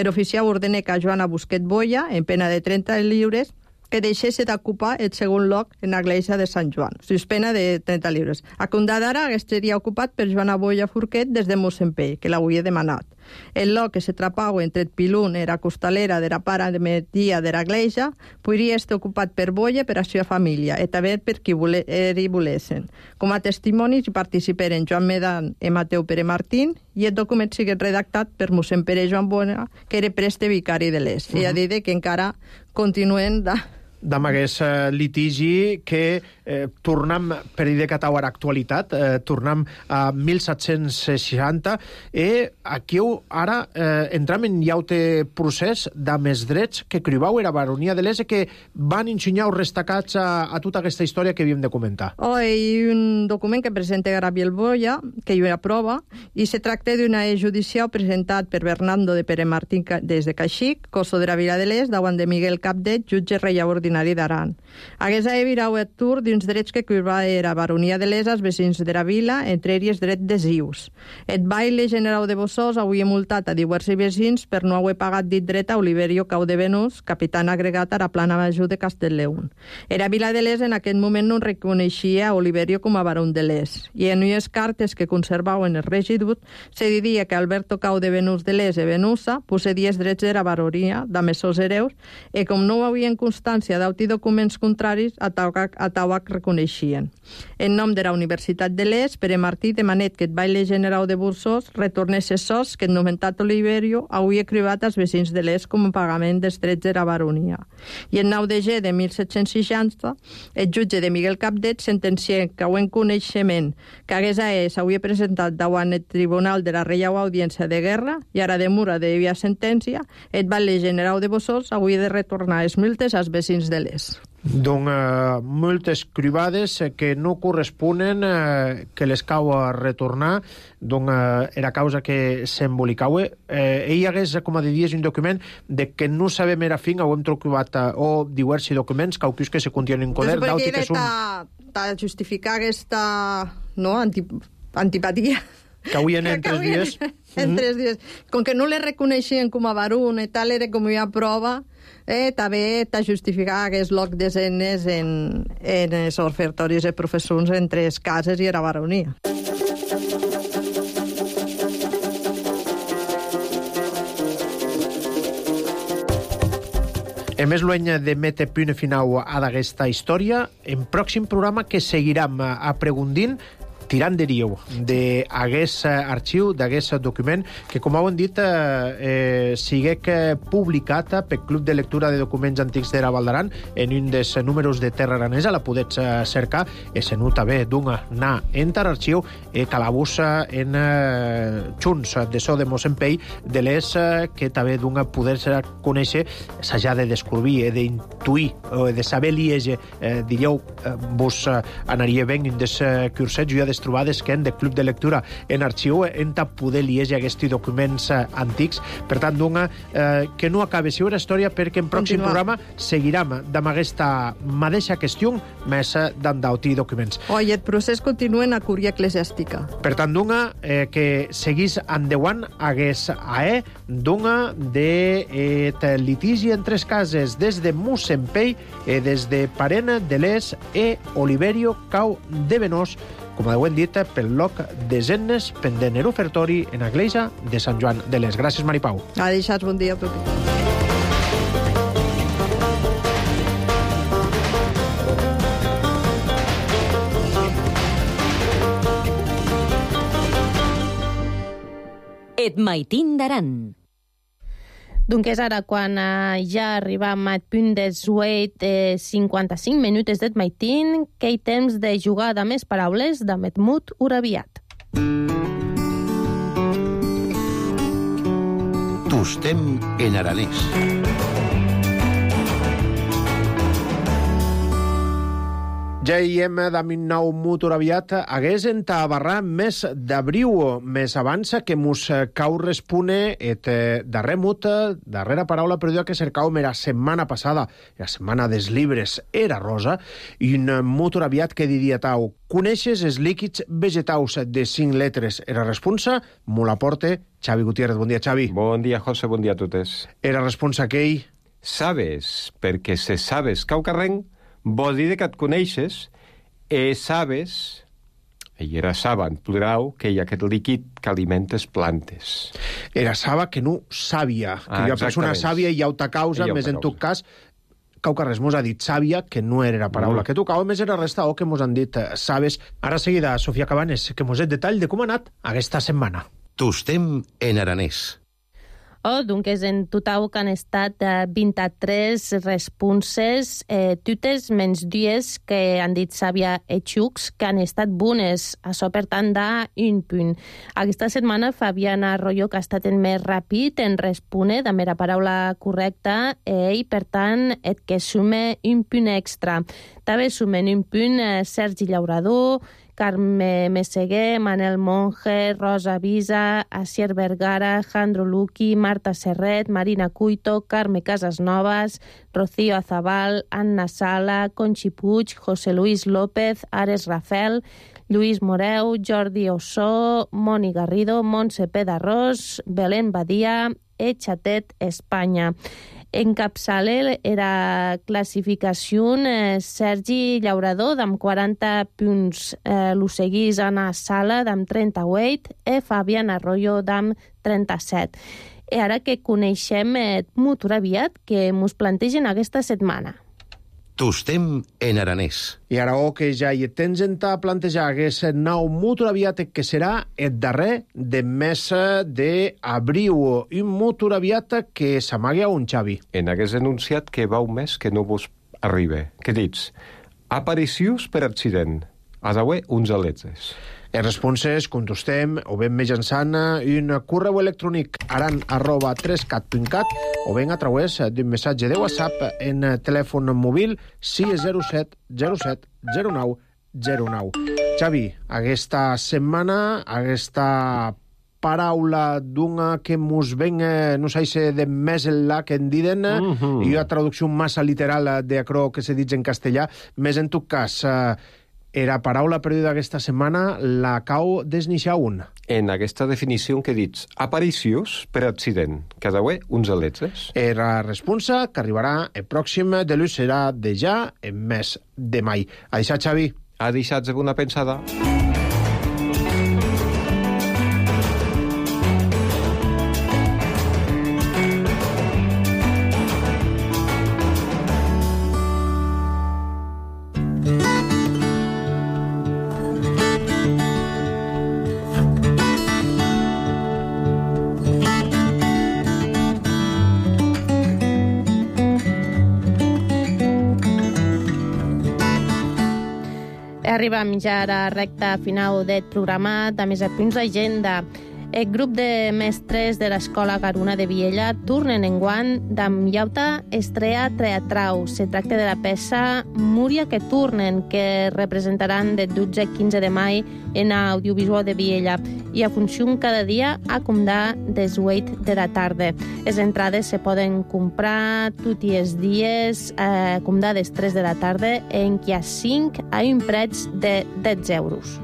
l'oficial ordena que Joana Busquet Boia, en pena de trenta lliures, que deixés d'ocupar el segon lloc en l'església de Sant Joan, suspena de trenta lliures. A comptar d'ara, aquest seria ocupat per Joana Boia Forquet des de mossèn Pell, que l'havia demanat. El lloc que se trapau entre el pilun i la costalera de la part de media de l'església podria estar ocupat per Boia per la seva família i també per qui hi volessin. Com a testimonis hi participaren Joan Medan i Mateu Pere Martín i el document sigue redactat per mossèn Pere Joan Boia, que era preste vicari de l'Es. Uh -huh. I ha dit que encara continuen de... D'am aquest eh, litigi que eh, tornem, per dir que tau a l'actualitat, eh, tornem a mil set-cents seixanta i aquí ara eh, entram en llaute procés de més drets que cribau era baronia de l'Es que van ensenyar els destacats a, a tota aquesta història que havíem de comentar. Oh, hi ha un document que presenta Gabriel Boia, que hi ha prova, i se tracta d'una e judicial presentat per Bernardo de Pere Martín des de Caxic, Coso de la Vila de l'Es, davant de Miguel Capdet, jutge reial ordinari d'Aran. Hagués a virau el tour d'uns drets que curva era baronia de l'Es als vecins de la vila, entre ells dret d'esius. El baile general de Bossós havia multat a diversos vecins per no haver pagat dit dret a Oliverio Caudevenós, capitán agregat a la plana major de Castellleón. Era vila de l'Es en aquest moment no reconeixia a Oliverio com a barón de l'Es, i en unes cartes que conservaven el regidut se diria que Alberto Caudevenós de l'Es i Venusa possedia els drets de la baronia de Messos Hereus i com no havien constància d'auti documents contraris a Tauac reconeixien. En nom de la Universitat de l'Es, Pere Martí demanet que el baile general de Bossós retornés els sos que el nomentat Oliverio havia cribat als vecins de l'Es com a pagament dels drets de la baronia. I el nou de gener de mil set-cents seixanta, el jutge de Miguel Capdet sentencià que en coneixement que hagués a ell s'havia presentat davant el Tribunal de la Reial Audiència de Guerra i ara de mura de via sentència, el baile general de Bossós havia de retornar els multes als vecins de l'Es. Donc, eh, multes cribades eh, que no corresponen eh, que les cau a retornar, donc eh, era causa que s'embolicaue. Eh, ell hagués, com a diries, un document de que no sabem era fin, ho hem trobat eh, o diversos documents, caucus que se continuen en coder, d'alti que són... Per justificar aquesta no, antip antipatia que avui en tres dies... En tres dies. Com que no le reconeixien com a barón i tal, era com una prova, eh, també t'ha justificat aquest loc de escenes en, en els ofertoris de professors entre les cases i la baronia. En més lueny de mete punt final a d'aquesta història, en pròxim programa que seguirem aprofundint tirant de riu d'aguest arxiu, d'aguest document, que, com heu dit, eh, siguec publicat pel Club de Lectura de Documents Antics de la Val d'Aran en un dels números de Terra Aranesa. La podets cercar, i se nota bé d'una anar en l'arxiu i calabús en eh, Junts de so de mossèn Pell de l'Es, que també d'una poder conèixer, s'ha de descobrir, d'intuir, de saber liege, eh, diríeu, eh, vos anaria ben en des cursets. Jo ja trobades que en de Club de Lectura en arxiu en ta poder llegir aquests documents eh, antics. Per tant, donga, eh, que no acabe si una història, perquè en pròxim Continua. programa seguirem amb aquesta mateixa qüestió més d'endautir documents. Oi, el procés continua en la cúria eclesiàstica. Per tant, donga, eh, que seguís endeuant hagués a e, donga de eh, litigi en tres cases des de Mussempei, eh, des de Parena de l'Es e Oliverio Cau de Venós, com ho hem dit, pel loc de Zennes, pendent el ofertori en l'església de Sant Joan de l'Es. Gràcies, Maripau. Ha deixat bon dia a tothom. Et maitin d'aran. Donc és ara quan eh, ja arribam al punt dels vuit eh, cinquanta-cinc minuts d'et maitin, que hi temps de jugar de més paraules de Metmut Urabiat. Tostem en aranès. Ja hi hem d'amin nou motor aviat hagués entabarrar més d'abriu, més avança que mos cau respone et darrer mut, darrera paraula perduda que cercau la setmana passada, la setmana dels llibres era rosa, i un motor aviat que diria tau, coneixes els líquids vegetaus de cinc letres? Era responsa, mo la porte, Xavi Gutiérrez. Bon dia, Xavi. Bon dia, José, bon dia a totes. Era responsa aquell? Sabes, perquè se sabes cau carrenc, vol dir que et coneixes, e sabes, i era saba en plural, que hi ha aquest líquid que alimentes plantes. Era saba que no sàvia, que Ah, jo persona exactament. sàvia i auta causa, I auta més en causa. tot cas, cau que res mos ha dit sàvia, que no era la paraula Mm. que tocava, més era resta o que mos han dit eh, sabes. Ara seguida, Sofia Cabanes, que mos et detall de com ha anat aquesta setmana. Tostem en aranès. Oh, donc és en total que han estat eh, vint-i-tres responses, eh, totes menys dues que han dit Sàvia e Xucs, que han estat bones, això per tant d'un punt. Aquesta setmana Fabián Arroyo, que ha estat el més ràpid en respondre de mera paraula correcta, ell, per tant, et que sume un punt extra. També sumen un punt eh, Sergi Llaurador, Carme Meseguer, Manel Monge, Rosa Visa, Asier Vergara, Jandro Luqui, Marta Serret, Marina Cuito, Carme Casasnovas, Rocío Azabal, Anna Sala, Conchi Puig, José Luis López, Ares Rafel, Lluís Moreu, Jordi Ossó, Moni Garrido, Montse Pedarrós, Belén Badia, Echatet, Espanya. Encapçale era classificació eh, Sergi Llaurador amb quaranta punts, eh, lo seguís Anna Sala amb trenta-vuit i Fabián Arroyo amb trenta-set. I ara que coneixem eh, motor aviat que mos plantegen aquesta setmana. Tostem en aranès. I ara o que ja hi tens en ta plantejar aquest nou motor aviat que serà el darrer de mes d'abril. Un motor aviat que s'amaga un Xavi. En hagués enunciat que va un mes que no vos arriba. Què dits? Aparicions per accident. A d'haver uns aletes. Les responses contestem o ben mitjançant un correu electrònic aran arroba tres cat punt cat o ben a través d'un missatge de WhatsApp en telèfon mòbil sis zero set zero set zero nou zero nou. Xavi, aquesta setmana, aquesta paraula d'una que mos ven, no sé si de més enllà que en diden, Mm-hmm. i una traducció massa literal d'acrò que se dit en castellà, més en tot cas, era paraula perduda aquesta setmana, la cau desnixar un. En aquesta definició que dits aparicions per accident. Que ha d'haver uns aletes. Era responsa que arribarà el pròxim de l'ús serà de ja en mes de mai. A deixar, Xavi. Ha deixat de una pensada. Arribam ja a la recta final del programa de Més a Punts d'Agenda. El grup de mestres de l'Escola Garuna de Viella tornen enguany d'amb llauta estrea teatrau. Se tracta de la peça Múria que tornen, que representaran de dotze a quinze de mai en audiovisual de Viella. I a funció cada dia a comdar des vuit de la tarda. Les entrades se poden comprar tots els dies a comdar des tres de la tarda en què a cinc a un preu de dotze euros.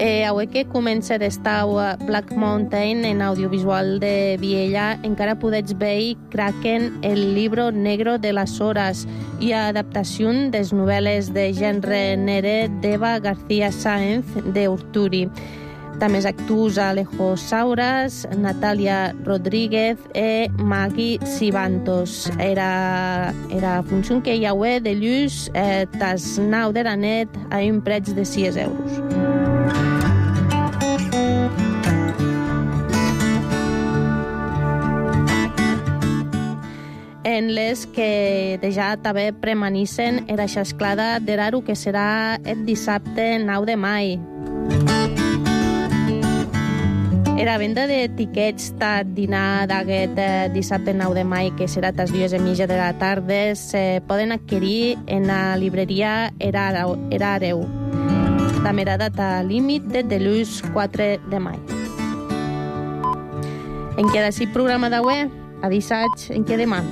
Eh, avui que comença d'estau Black Mountain en audiovisual de Viella, encara podets veure Kraken, el libro negro de les hores, i adaptació des novel·les de gènere nere d'Eva García Sáenz de Urturi. També actús Alejo Sauras, Natalia Rodríguez e Maggie Sibantos. Era, era funció que hi ha de llus eh, tas nau de la net a un preu de sis euros. En les que ja també premanissen era xasclada d'Eraru que serà el dissabte nou de mai. Era venda d'etiquets de dinar d'aquest dissabte nou de mai, que serà a les dues i mitja de la tarda, se poden adquirir en la libreria Erareu. També era data límit de dilluns quatre de mai. En què d'ací programa d'avui, a dissatge, en què demà.